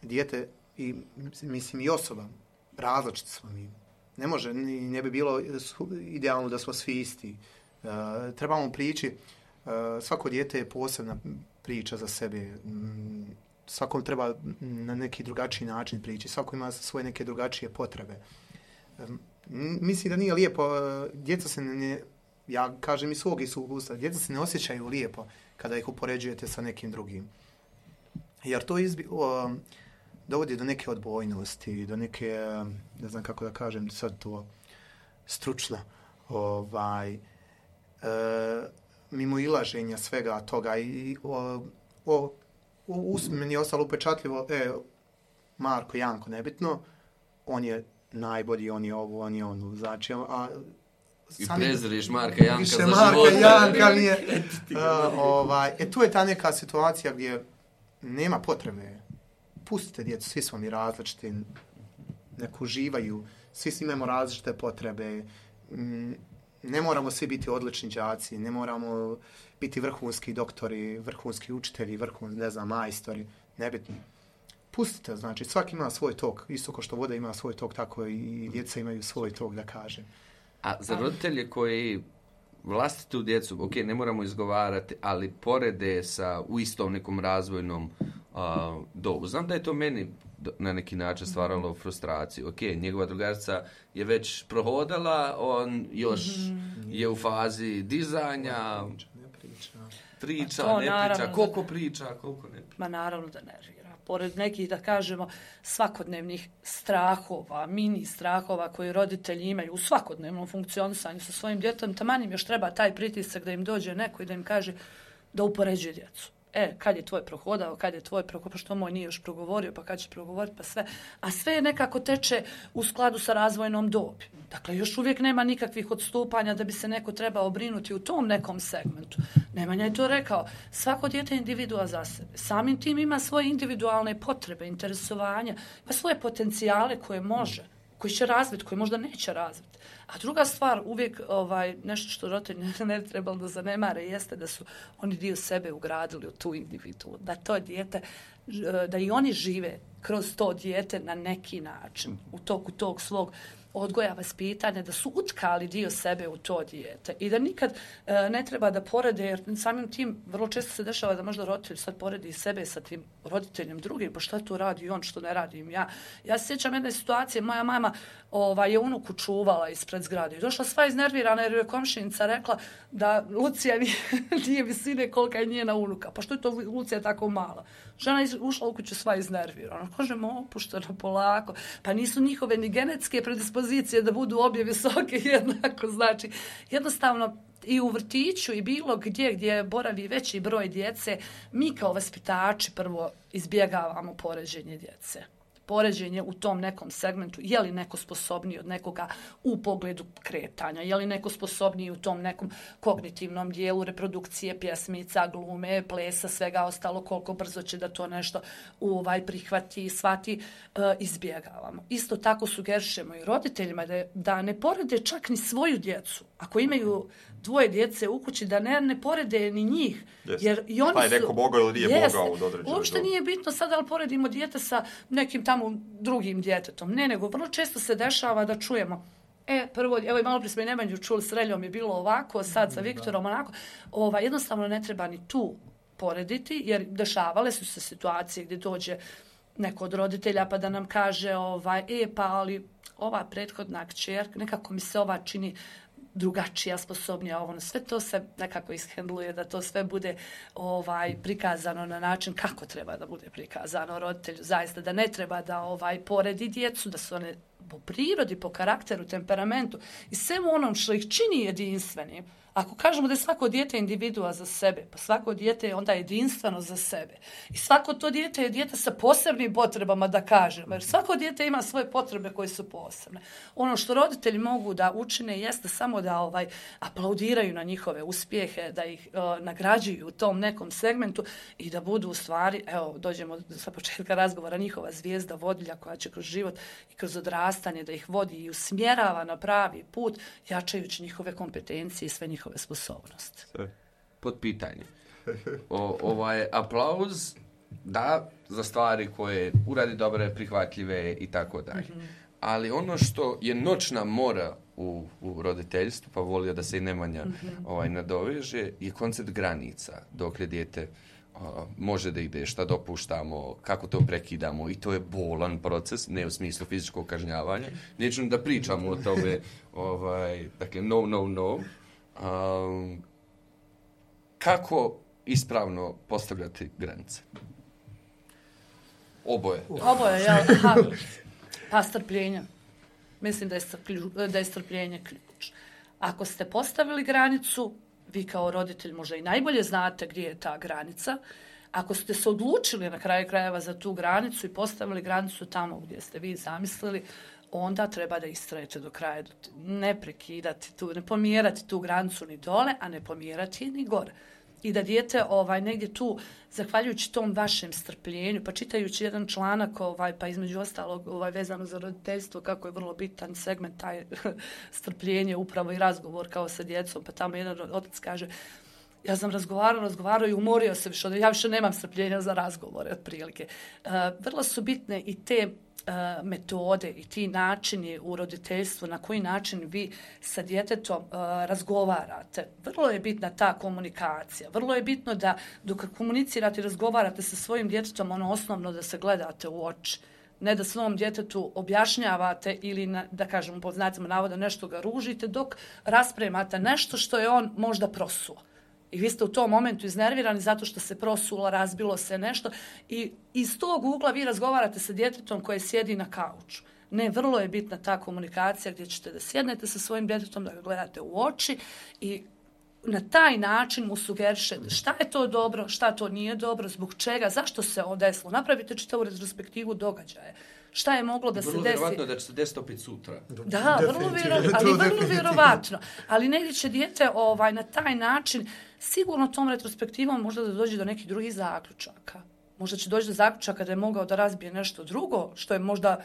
dijete i, mislim, i osoba, različiti smo mi. Ne može, ni, ne bi bilo idealno da smo svi isti. Uh, trebamo prići, uh, svako dijete je posebna priča za sebe. Mm, svakom treba na neki drugačiji način prići. Svako ima svoje neke drugačije potrebe. Um, mislim da nije lijepo. Uh, djeca se ne, ja kažem iz svog iskustva, djeca se ne osjećaju lijepo kada ih upoređujete sa nekim drugim. Jer to izbi, uh, dovodi do neke odbojnosti, do neke, ne znam kako da kažem, sad to stručno, ovaj, e, mimo ilaženja svega toga i o, o u, meni je ostalo upečatljivo, e, Marko, Janko, nebitno, on je najbolji, on je ovo, on je ono, znači, a... I preziriš Marka Janka više za Marka života. Janka nije... uh, ovaj, e, tu je ta neka situacija gdje nema potrebe. Pustite djecu, svi smo mi različiti, nek uživaju, svi imamo različite potrebe, mm, ne moramo svi biti odlični đaci, ne moramo biti vrhunski doktori, vrhunski učitelji, vrhunski, ne znam, majstori, nebitno. Pustite, znači, svaki ima svoj tok, isto kao što voda ima svoj tok, tako i djeca imaju svoj tok, da kažem. A za roditelje koji vlastitu djecu, ok, ne moramo izgovarati, ali porede sa u istom nekom razvojnom uh, dobu. Znam da je to meni na neki način stvaralo frustraciju. Ok, njegova drugarica je već prohodala, on još mm-hmm. je u fazi dizanja, Ne priča, ne priča, to, ne naravno, priča, koliko priča, koliko ne priča. Ma naravno da nervira. Pored nekih, da kažemo, svakodnevnih strahova, mini strahova koje roditelji imaju u svakodnevnom funkcionisanju sa svojim djetom, taman im još treba taj pritisak da im dođe neko i da im kaže da upoređuje djecu. E, kad je tvoj prohodao, kad je tvoj prohodao, pa što moj nije još progovorio, pa kad će progovoriti, pa sve. A sve je nekako teče u skladu sa razvojnom dobi. Dakle, još uvijek nema nikakvih odstupanja da bi se neko trebao brinuti u tom nekom segmentu. Nemanja je to rekao. Svako dijete je individua za sebe. Samim tim ima svoje individualne potrebe, interesovanja, pa svoje potencijale koje može, koji će razviti, koji možda neće razviti. A druga stvar, uvijek ovaj, nešto što roditelji ne, ne trebalo da zanemare, jeste da su oni dio sebe ugradili u tu individu. Da to dijete, da i oni žive kroz to dijete na neki način, u toku tog svog odgoja, vaspitanja, da su utkali dio sebe u to dijete i da nikad e, ne treba da porede, jer samim tim vrlo često se dešava da možda roditelj sad poredi sebe sa tim roditeljem drugim, pa šta tu radi on, što ne radim ja. Ja se sjećam jedne situacije, moja mama ovaj, je unuku čuvala ispred zgrade i došla sva iznervirana jer je komšinica rekla da Lucija nije visine kolika je njena unuka, pa što je to Lucija tako mala? Žena je ušla u kuću sva iznervirana. Kažemo, opušteno, polako. Pa nisu njihove ni genetske predispozicije da budu obje visoke jednako. Znači, jednostavno i u vrtiću i bilo gdje gdje boravi veći broj djece, mi kao vaspitači prvo izbjegavamo poređenje djece. Poređenje u tom nekom segmentu, je li neko sposobniji od nekoga u pogledu kretanja, je li neko sposobniji u tom nekom kognitivnom dijelu reprodukcije, pjesmica, glume, plesa, svega ostalo, koliko brzo će da to nešto ovaj prihvati, shvati, e, izbjegavamo. Isto tako sugerišemo i roditeljima da, da ne porede čak ni svoju djecu. Ako imaju dvoje djece u kući, da ne, ne porede ni njih. Yes. Jer i oni pa je neko su, mogao ili nije jeste, mogao od određenog. Uopšte nije bitno sad da li poredimo dijete sa nekim tamo drugim djetetom. Ne, nego vrlo često se dešava da čujemo e, prvo, evo i malo prije smo i Nemanju čuli, s Reljom je bilo ovako, sad sa Viktorom onako. Ova, jednostavno ne treba ni tu porediti, jer dešavale su se situacije gdje dođe neko od roditelja pa da nam kaže ovaj, e, pa ali ova prethodna kćerka, nekako mi se ova čini drugačija, sposobnija, ovo, sve to se nekako ishendluje, da to sve bude ovaj prikazano na način kako treba da bude prikazano roditelju, zaista da ne treba da ovaj poredi djecu, da su one po prirodi, po karakteru, temperamentu i svemu onom što ih čini jedinstvenim. Ako kažemo da je svako dijete individua za sebe, pa svako dijete je onda jedinstveno za sebe. I svako to dijete je dijete sa posebnim potrebama, da kažemo. Jer svako dijete ima svoje potrebe koje su posebne. Ono što roditelji mogu da učine jeste samo da ovaj aplaudiraju na njihove uspjehe, da ih uh, nagrađuju u tom nekom segmentu i da budu u stvari, evo, dođemo sa početka razgovora, njihova zvijezda vodilja koja će kroz život i kroz odrastanje da ih vodi i usmjerava na pravi put, jačajući njihove kompetencije i sve njihove njihove sposobnosti. Pod pitanje. O, ovaj aplauz da za stvari koje uradi dobre, prihvatljive i tako dalje. Ali ono što je noćna mora u, u roditeljstvu, pa volio da se i Nemanja mm-hmm. ovaj, nadoveže, je koncept granica. Dok je dijete uh, može da ide, šta dopuštamo, kako to prekidamo i to je bolan proces, ne u smislu fizičkog kažnjavanja. Neću da pričamo o tome, ovaj, dakle, no, no, no. Um, kako ispravno postavljati granice? Oboje. Oboje, jel? Aha. Pa strpljenje. Mislim da je, da je strpljenje ključ. Ako ste postavili granicu, vi kao roditelj možda i najbolje znate gdje je ta granica, Ako ste se odlučili na kraju krajeva za tu granicu i postavili granicu tamo gdje ste vi zamislili, onda treba da istrajete do kraja, ne prekidati tu, ne pomjerati tu granicu ni dole, a ne pomjerati ni gore. I da dijete ovaj, negdje tu, zahvaljujući tom vašem strpljenju, pa čitajući jedan članak, ovaj, pa između ostalog ovaj, vezano za roditeljstvo, kako je vrlo bitan segment, taj strpljenje, upravo i razgovor kao sa djecom, pa tamo jedan otac kaže, ja sam razgovarao, razgovarao i umorio se više, ja više nemam strpljenja za razgovore, otprilike. Uh, vrlo su bitne i te uh, metode i ti načini u roditeljstvu, na koji način vi sa djetetom uh, razgovarate. Vrlo je bitna ta komunikacija. Vrlo je bitno da dok komunicirate i razgovarate sa svojim djetetom, ono osnovno da se gledate u oči. Ne da svom djetetu objašnjavate ili, na, da kažemo, pod znacima navoda nešto ga ružite, dok raspremate nešto što je on možda prosuo. I vi ste u tom momentu iznervirani zato što se prosulo, razbilo se nešto i iz tog ugla vi razgovarate sa djetetom koje sjedi na kauču. Ne, vrlo je bitna ta komunikacija gdje ćete da sjednete sa svojim djetetom, da ga gledate u oči i na taj način mu sugerišete šta je to dobro, šta to nije dobro, zbog čega, zašto se ovo desilo. Napravite čitavu retrospektivu događaja. Šta je moglo da se desi? Vrlo vjerovatno da će se desiti opet sutra. Da, vrlo vjerovatno, ali vrlo vjerovatno. Ali negdje će dijete ovaj, na taj način sigurno tom retrospektivom možda da dođe do nekih drugih zaključaka. Možda će doći do zaključaka da je mogao da razbije nešto drugo, što je možda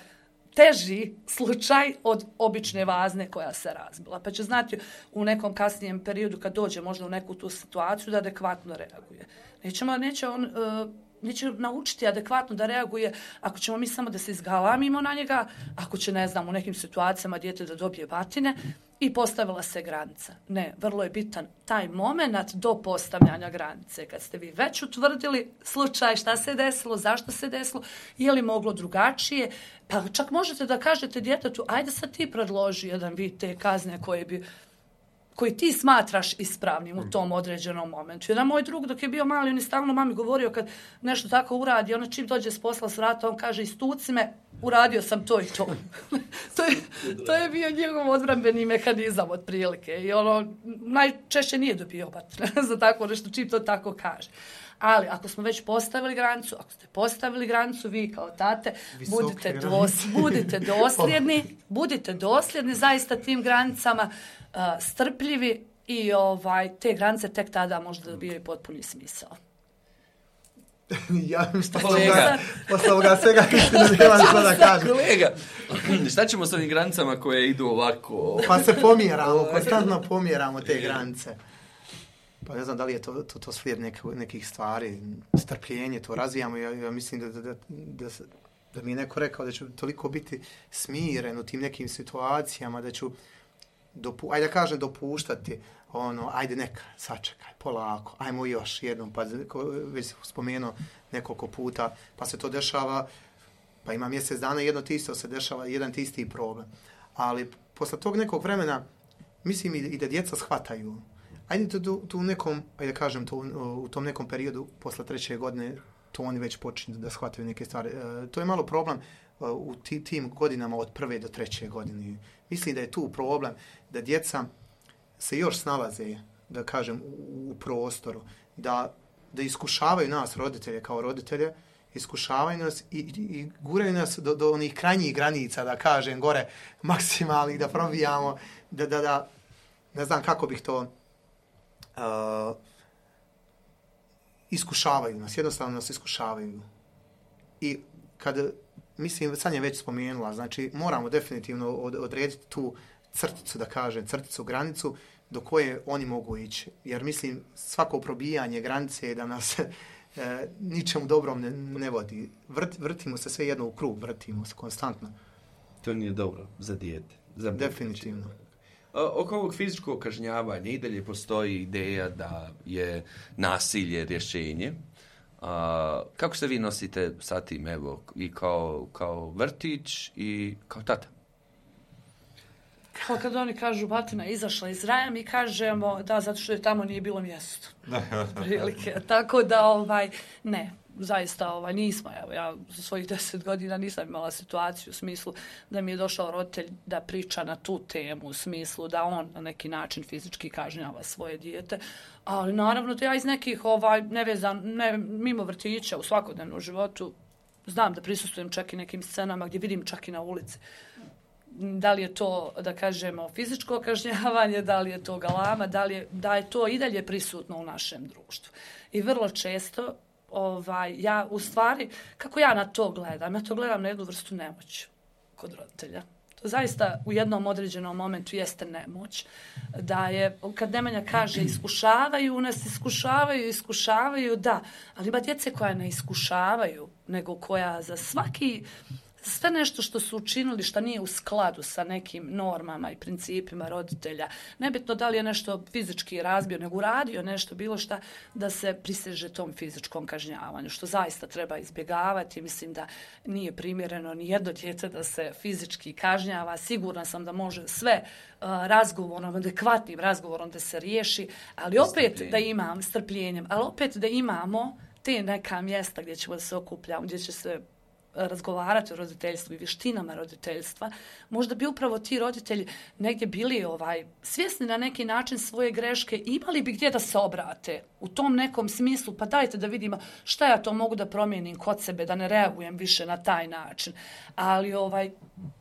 teži slučaj od obične vazne koja se razbila. Pa će znati u nekom kasnijem periodu kad dođe možda u neku tu situaciju da adekvatno reaguje. Nećemo, neće on... Uh, neće naučiti adekvatno da reaguje ako ćemo mi samo da se izgalamimo na njega, ako će, ne znam, u nekim situacijama dijete da dobije batine i postavila se granica. Ne, vrlo je bitan taj moment do postavljanja granice. Kad ste vi već utvrdili slučaj, šta se desilo, zašto se desilo, je li moglo drugačije, pa čak možete da kažete djetetu, ajde sad ti predloži jedan vid te kazne koje bi koji ti smatraš ispravnim u tom određenom momentu. Jedan moj drug dok je bio mali, on je stalno mami govorio kad nešto tako uradi, ona čim dođe s posla s vrata, on kaže istuci me, uradio sam to i to. to, je, to je bio njegov odbrambeni mehanizam otprilike. I ono, najčešće nije dobio batine za tako nešto, čim to tako kaže. Ali ako smo već postavili granicu, ako ste postavili granicu, vi kao tate, budite, dos, budite dosljedni, budite dosljedni zaista tim granicama, uh, strpljivi i ovaj, te granice tek tada možda dobijaju potpuni smisao. Ja što kolega, posle ovoga svega da nemam što da kažem. Kolega, šta ćemo s ovim granicama koje idu ovako? Pa se pomjeramo, konstantno pomjeramo te granice. Pa ne znam da li je to, to, to slijed nek, nekih stvari, strpljenje, to razvijamo. Ja, ja mislim da, da, da, da, da mi je neko rekao da ću toliko biti smiren u tim nekim situacijama, da ću, dopu, ajde da kažem, dopuštati, ono, ajde neka, sačekaj, polako, ajmo još jednom, pa već spomenuo nekoliko puta, pa se to dešava, pa ima mjesec dana, jedno ti isto se dešava, jedan ti isti problem. Ali posle tog nekog vremena, mislim i, i da djeca shvataju. Ajde tu, tu nekom, ajde da kažem, tu, u tom nekom periodu, posle treće godine, to oni već počinju da shvataju neke stvari. E, to je malo problem uh, u ti, tim godinama od prve do treće godine. Mislim da je tu problem da djeca se još snalaze, da kažem, u, u prostoru, da, da iskušavaju nas, roditelje, kao roditelje, iskušavaju nas i, i, i guraju nas do, do onih krajnjih granica, da kažem, gore maksimalnih, da probijamo, da, da, da, ne znam kako bih to... Uh, iskušavaju nas, jednostavno nas iskušavaju. I kad, mislim, sad je već spomenula, znači moramo definitivno od, odrediti tu crticu, da kažem, crticu, granicu do koje oni mogu ići. Jer mislim, svako probijanje granice da nas e, ničemu dobrom ne, ne vodi. Vrt, vrtimo se sve jedno u krug, vrtimo se konstantno. To nije dobro za dijete. Za definitivno. Oko ovog fizičkog kažnjavanja i dalje postoji ideja da je nasilje rješenje. Uh, kako se vi nosite sa tim, evo, i kao, kao vrtić i kao tata? Kao kad oni kažu batina izašla iz raja, mi kažemo da, zato što je tamo nije bilo mjesto. Prilike. Tako da, ovaj, ne. zaista ovaj, nismo, evo, ja za svojih deset godina nisam imala situaciju u smislu da mi je došao roditelj da priča na tu temu, u smislu da on na neki način fizički kažnjava svoje dijete, ali naravno da ja iz nekih ovaj, nevezan, ne, mimo vrtića u svakodnevnom životu znam da prisustvujem čak i nekim scenama gdje vidim čak i na ulici. Da li je to, da kažemo, fizičko kažnjavanje, da li je to galama, da li je, da je to i dalje prisutno u našem društvu. I vrlo često, ovaj, ja u stvari, kako ja na to gledam? Ja to gledam na jednu vrstu nemoći kod roditelja. To zaista u jednom određenom momentu jeste nemoć. Da je, kad Nemanja kaže iskušavaju nas, iskušavaju, iskušavaju, da. Ali ima djece koja ne iskušavaju, nego koja za svaki... sve nešto što su učinili što nije u skladu sa nekim normama i principima roditelja, nebitno da li je nešto fizički razbio, nego uradio nešto, bilo šta, da se priseže tom fizičkom kažnjavanju, što zaista treba izbjegavati. Mislim da nije primjereno ni jedno dijete da se fizički kažnjava. Sigurna sam da može sve uh, razgovorom, adekvatnim razgovorom da se riješi, ali opet da imam strpljenjem, ali opet da imamo te neka mjesta gdje ćemo da se okupljamo, gdje će se razgovarati o roditeljstvu i vještinama roditeljstva, možda bi upravo ti roditelji negdje bili ovaj, svjesni na neki način svoje greške, imali bi gdje da se obrate u tom nekom smislu, pa dajte da vidimo šta ja to mogu da promijenim kod sebe, da ne reagujem više na taj način. Ali ovaj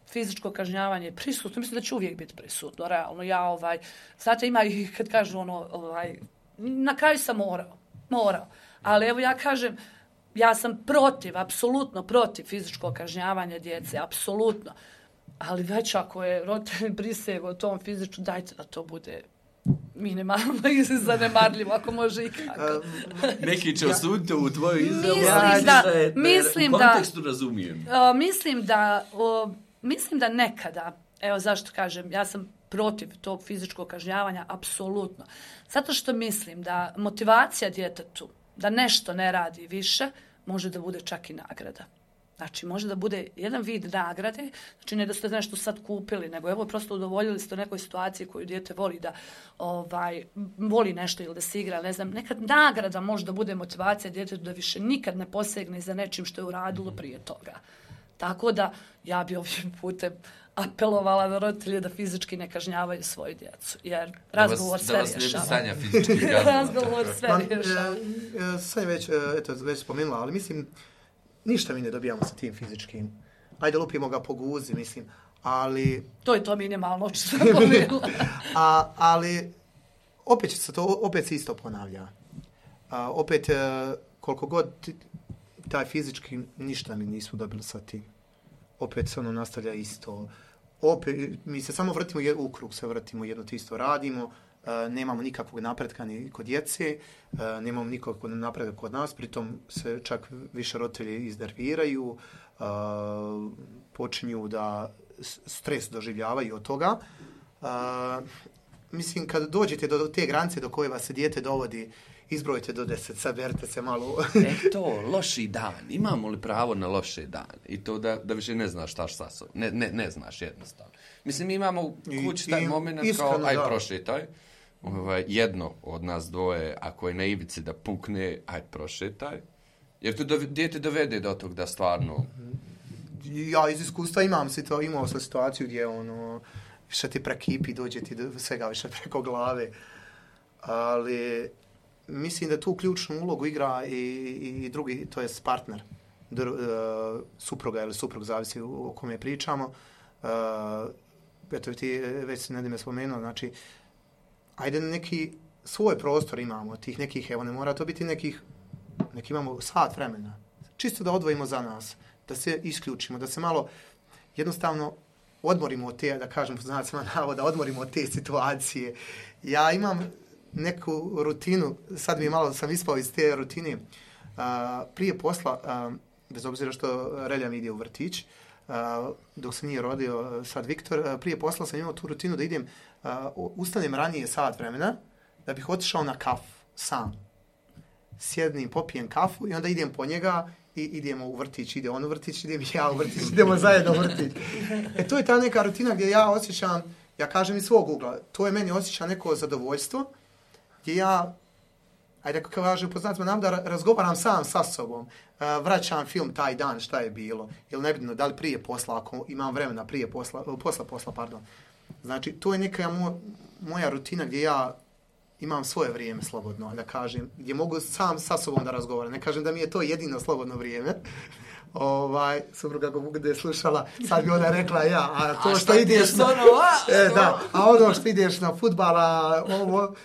fizičko kažnjavanje je prisutno, mislim da će uvijek biti prisutno, realno. Ja, ovaj, znate, ima i kad kažu ono, ovaj, na kraju sam morao, morao. Ali evo ja kažem, ja sam protiv, apsolutno protiv fizičkog kažnjavanja djece, apsolutno. Ali već ako je roditelj prisegao tom fizičku, dajte da to bude minimalno i zanemarljivo, ako može i kako. Neki će osuditi u tvoju izjavu. Mislim da, mislim u da, kontekstu razumijem. Uh, mislim da, uh, mislim da nekada, evo zašto kažem, ja sam protiv tog fizičkog kažnjavanja, apsolutno. Zato što mislim da motivacija djetetu da nešto ne radi više, može da bude čak i nagrada. Znači, može da bude jedan vid nagrade, znači ne da ste nešto sad kupili, nego evo prosto udovoljili ste u nekoj situaciji koju dijete voli da ovaj, voli nešto ili da se igra, ne znam, nekad nagrada može da bude motivacija djetetu da više nikad ne posegne za nečim što je uradilo prije toga. Tako da, ja bi ovim putem apelovala na roditelje da fizički ne kažnjavaju svoju djecu, jer razgovor sve rješava. Da vas ne bi Sanja fizički kažnjava. Razgovor sve rješava. Sad je već, eto, već spomenula, ali mislim, ništa mi ne dobijamo sa tim fizičkim. Ajde, lupimo ga po guzi, mislim, ali... To je to minimalno, što sam pomenula. A, ali, opet se to, opet se isto ponavlja. A, opet, koliko god taj fizički, ništa mi nismo dobili sa tim. Opet se ono nastavlja isto. Opet, mi se samo vrtimo u krug, se vrtimo, jedno to isto radimo, uh, nemamo nikakvog napretka ni kod djece, uh, nemamo nikakvog napretka kod nas, pritom se čak više roditelji iznerviraju, uh, počinju da stres doživljavaju od toga. Uh, mislim, kad dođete do te granice do koje vas se dijete dovodi, izbrojite do deset, saberite se malo. E to, loši dan. Imamo li pravo na loše dan? I to da, da više ne znaš šta sa sobom. Ne, ne, ne znaš jednostavno. Mislim, imamo u kući taj moment kao, aj prošetaj. Ovaj, jedno od nas dvoje, ako je na ivici da pukne, aj prošetaj. Jer to do, dijete dovede do tog da stvarno... Ja iz iskustva imam to, imao sam situaciju gdje ono, više ti prekipi, dođe ti do svega više preko glave. Ali... Mislim da tu ključnu ulogu igra i, i, i drugi, to je partner, dr, uh, supruga ili suprug, zavisi o kome pričamo. Uh, eto, ti već ne me spomenuo, znači, ajde neki svoj prostor imamo, tih nekih, evo ne mora to biti nekih, neki imamo sat vremena, čisto da odvojimo za nas, da se isključimo, da se malo jednostavno odmorimo od te, da kažem, znacima navoda, odmorimo od te situacije. Ja imam neku rutinu, sad mi malo sam ispao iz te rutine, uh, prije posla, uh, bez obzira što Relja mi ide u vrtić, uh, dok se nije rodio sad Viktor, uh, prije posla sam imao tu rutinu da idem, uh, ustanem ranije sat vremena, da bih otišao na kafu, sam. Sjednim, popijem kafu i onda idem po njega i idemo u vrtić, ide on u vrtić, idem i ja u vrtić, idemo zajedno u vrtić. E to je ta neka rutina gdje ja osjećam, ja kažem iz svog ugla, to je meni osjeća neko zadovoljstvo, gdje ja ajde kako kažem, poznatimo nam da razgovaram sam sa sobom, uh, vraćam film taj dan šta je bilo, ili nebitno da li prije posla, ako imam vremena prije posla, posla posla, pardon. Znači, to je neka mo, moja rutina gdje ja imam svoje vrijeme slobodno, da kažem, gdje mogu sam sa sobom da razgovaram. Ne kažem da mi je to jedino slobodno vrijeme. Ovaj, supruga kako bude slušala, sad bi ona rekla ja, a to a što ideš na, e, da, a ono što ideš na fudbala, ovo,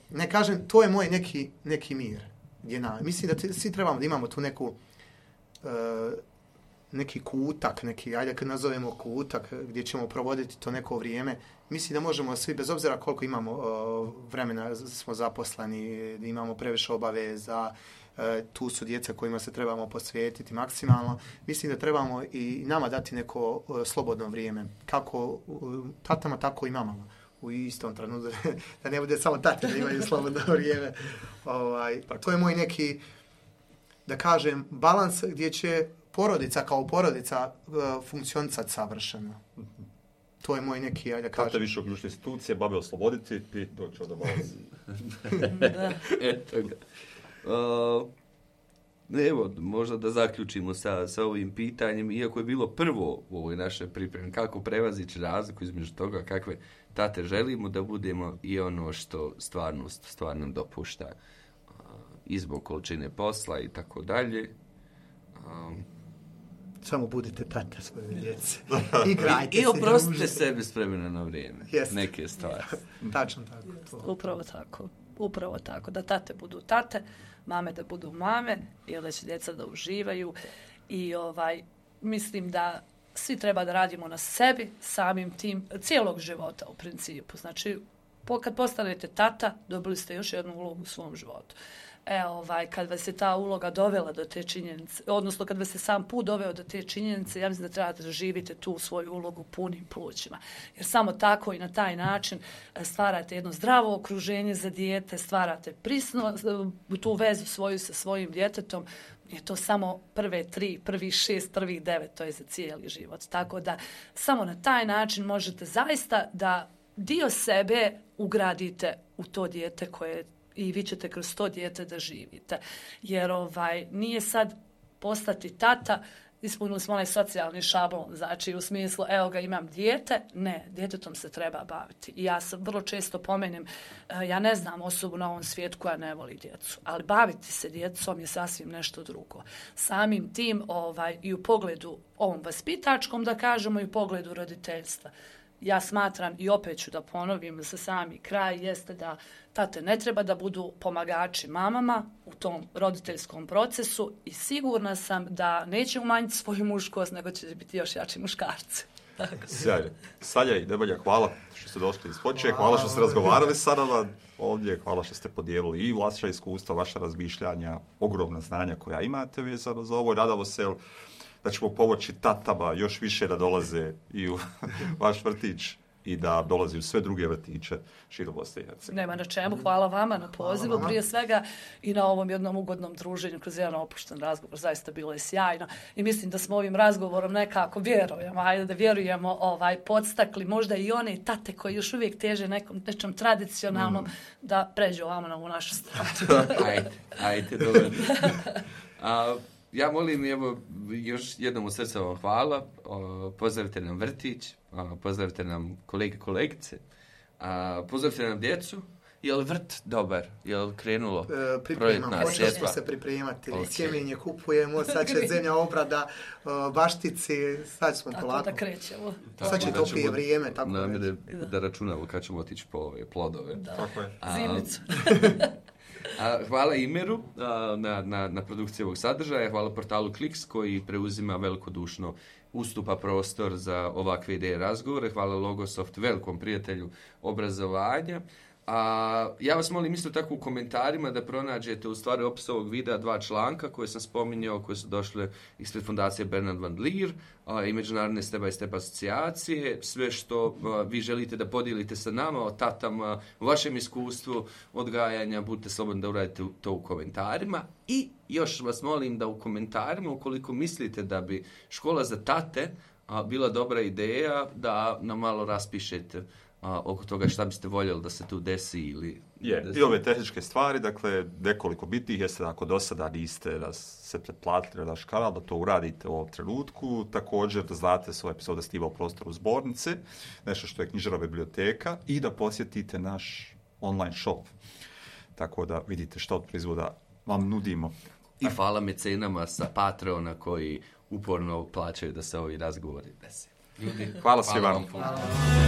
ne kažem, to je moj neki, neki mir. Gdje na, mislim da te, svi trebamo da imamo tu neku, uh, neki kutak, neki, ajde kad nazovemo kutak, gdje ćemo provoditi to neko vrijeme. Mislim da možemo svi, bez obzira koliko imamo uh, vremena, smo zaposleni, imamo previše obaveza, uh, tu su djeca kojima se trebamo posvetiti maksimalno. Mislim da trebamo i nama dati neko uh, slobodno vrijeme, kako uh, tatama, tako i mamama. U istom trenutku, da ne bude samo tate da imaju slobodno vrijeme. Ovaj, to je moj neki, da kažem, balans gdje će porodica kao porodica uh, funkcionisati savršeno. To je moj neki, ajde da kažem. Tate više uključiti institucije, babe osloboditi i doći od balans. Da. Eto ga. Uh, evo, možda da zaključimo sa, sa ovim pitanjem, iako je bilo prvo u ovoj našoj pripremi, kako prevazići razliku između toga kakve tate želimo da budemo i ono što stvarnost stvarno dopušta uh, i zbog količine posla i tako dalje. Um, Samo budite tate svoje djece. Igrajte I, se. I oprostite sebi s vremena na vrijeme. Yes. Neke stvari. Yes. Tačno tako. To. Upravo tako. Upravo tako. Da tate budu tate, mame da budu mame, i da će djeca da uživaju. I ovaj, mislim da svi treba da radimo na sebi, samim tim, cijelog života u principu. Znači, po, kad postanete tata, dobili ste još jednu ulogu u svom životu. E, ovaj, kad vas je ta uloga dovela do te činjenice, odnosno kad vas je sam put doveo do te činjenice, ja mislim da trebate da živite tu svoju ulogu punim plućima. Jer samo tako i na taj način stvarate jedno zdravo okruženje za dijete, stvarate prisno, tu vezu svoju sa svojim djetetom. Je to samo prve tri, prvi šest, prvih devet, to je za cijeli život. Tako da samo na taj način možete zaista da dio sebe ugradite u to dijete koje i vi ćete kroz to dijete da živite. Jer ovaj nije sad postati tata, ispunili smo onaj socijalni šablon, znači u smislu, evo ga, imam dijete, ne, djetetom se treba baviti. I ja sam vrlo često pomenem, ja ne znam osobu na ovom svijetu koja ne voli djecu, ali baviti se djecom je sasvim nešto drugo. Samim tim ovaj, i u pogledu ovom vaspitačkom, da kažemo, i u pogledu roditeljstva. Ja smatram, i opet ću da ponovim za sami kraj, jeste da tate ne treba da budu pomagači mamama u tom roditeljskom procesu i sigurna sam da neće umanjiti svoju muškost, nego će biti još jači muškarci. Sjajno. Sanja i Nebojna, hvala što ste došli iz Počije, hvala što ste razgovarali sa nama ovdje, hvala što ste podijelili i vaša iskustva, vaša razmišljanja, ogromna znanja koja imate vezano za ovo. Nadamo se da ćemo pomoći tatama još više da dolaze i u vaš vrtić i da dolazi u sve druge vrtiće širom Bosne i Hercegovine. Nema na čemu, hvala vama na pozivu, prije svega i na ovom jednom ugodnom druženju kroz jedan opušten razgovor, zaista bilo je sjajno i mislim da smo ovim razgovorom nekako vjerujemo, ajde da vjerujemo, ovaj, podstakli možda i one tate koji još uvijek teže nekom nečem tradicionalnom mm. da pređu ovamo na ovu našu stranu. ajde, ajde, dobro. A, ja molim, evo, još jednom u srce vam hvala, o, pozdravite nam vrtić, o, pozdravite nam kolege, kolegice, a, pozdravite nam djecu. Je li vrt dobar? Je li krenulo e, projektna sredstva? Počeli smo se pripremati, okay. Sjemenje kupujemo, sad će zemlja obrada, baštici, sad smo tako polako. Da krećemo. Sad će toplije vrijeme, tako da. Da, da računamo kad ćemo otići po ove plodove. Da. Tako je. Zimnicu. A, hvala Imeru a, na, na, na produkciji ovog sadržaja, hvala portalu Kliks koji preuzima velikodušno ustupa prostor za ovakve ideje razgovore, hvala Logosoft, velikom prijatelju obrazovanja. A, ja vas molim isto tako u komentarima da pronađete u stvari opis ovog videa dva članka koje sam spominjao, koje su došle ispred fondacije Bernard van Leer a, i Međunarodne step by step asocijacije. Sve što a, vi želite da podijelite sa nama o tatama, o vašem iskustvu odgajanja, budite slobodni da uradite to u komentarima. I još vas molim da u komentarima, ukoliko mislite da bi škola za tate a, bila dobra ideja, da nam malo raspišete A, oko toga šta biste voljeli da se tu desi ili Je, i ove tehničke stvari, dakle, nekoliko bitnih, jeste ako do sada niste se pretplatili na naš kanal, da to uradite u ovom trenutku. Također da znate svoje epizode Stiva u prostoru zbornice, nešto što je knjižara biblioteka, i da posjetite naš online shop. Tako da vidite što od proizvoda vam nudimo. I hvala mecenama sa Patreona koji uporno plaćaju da se ovi razgovori desi. Hvala svima. Hvala vam.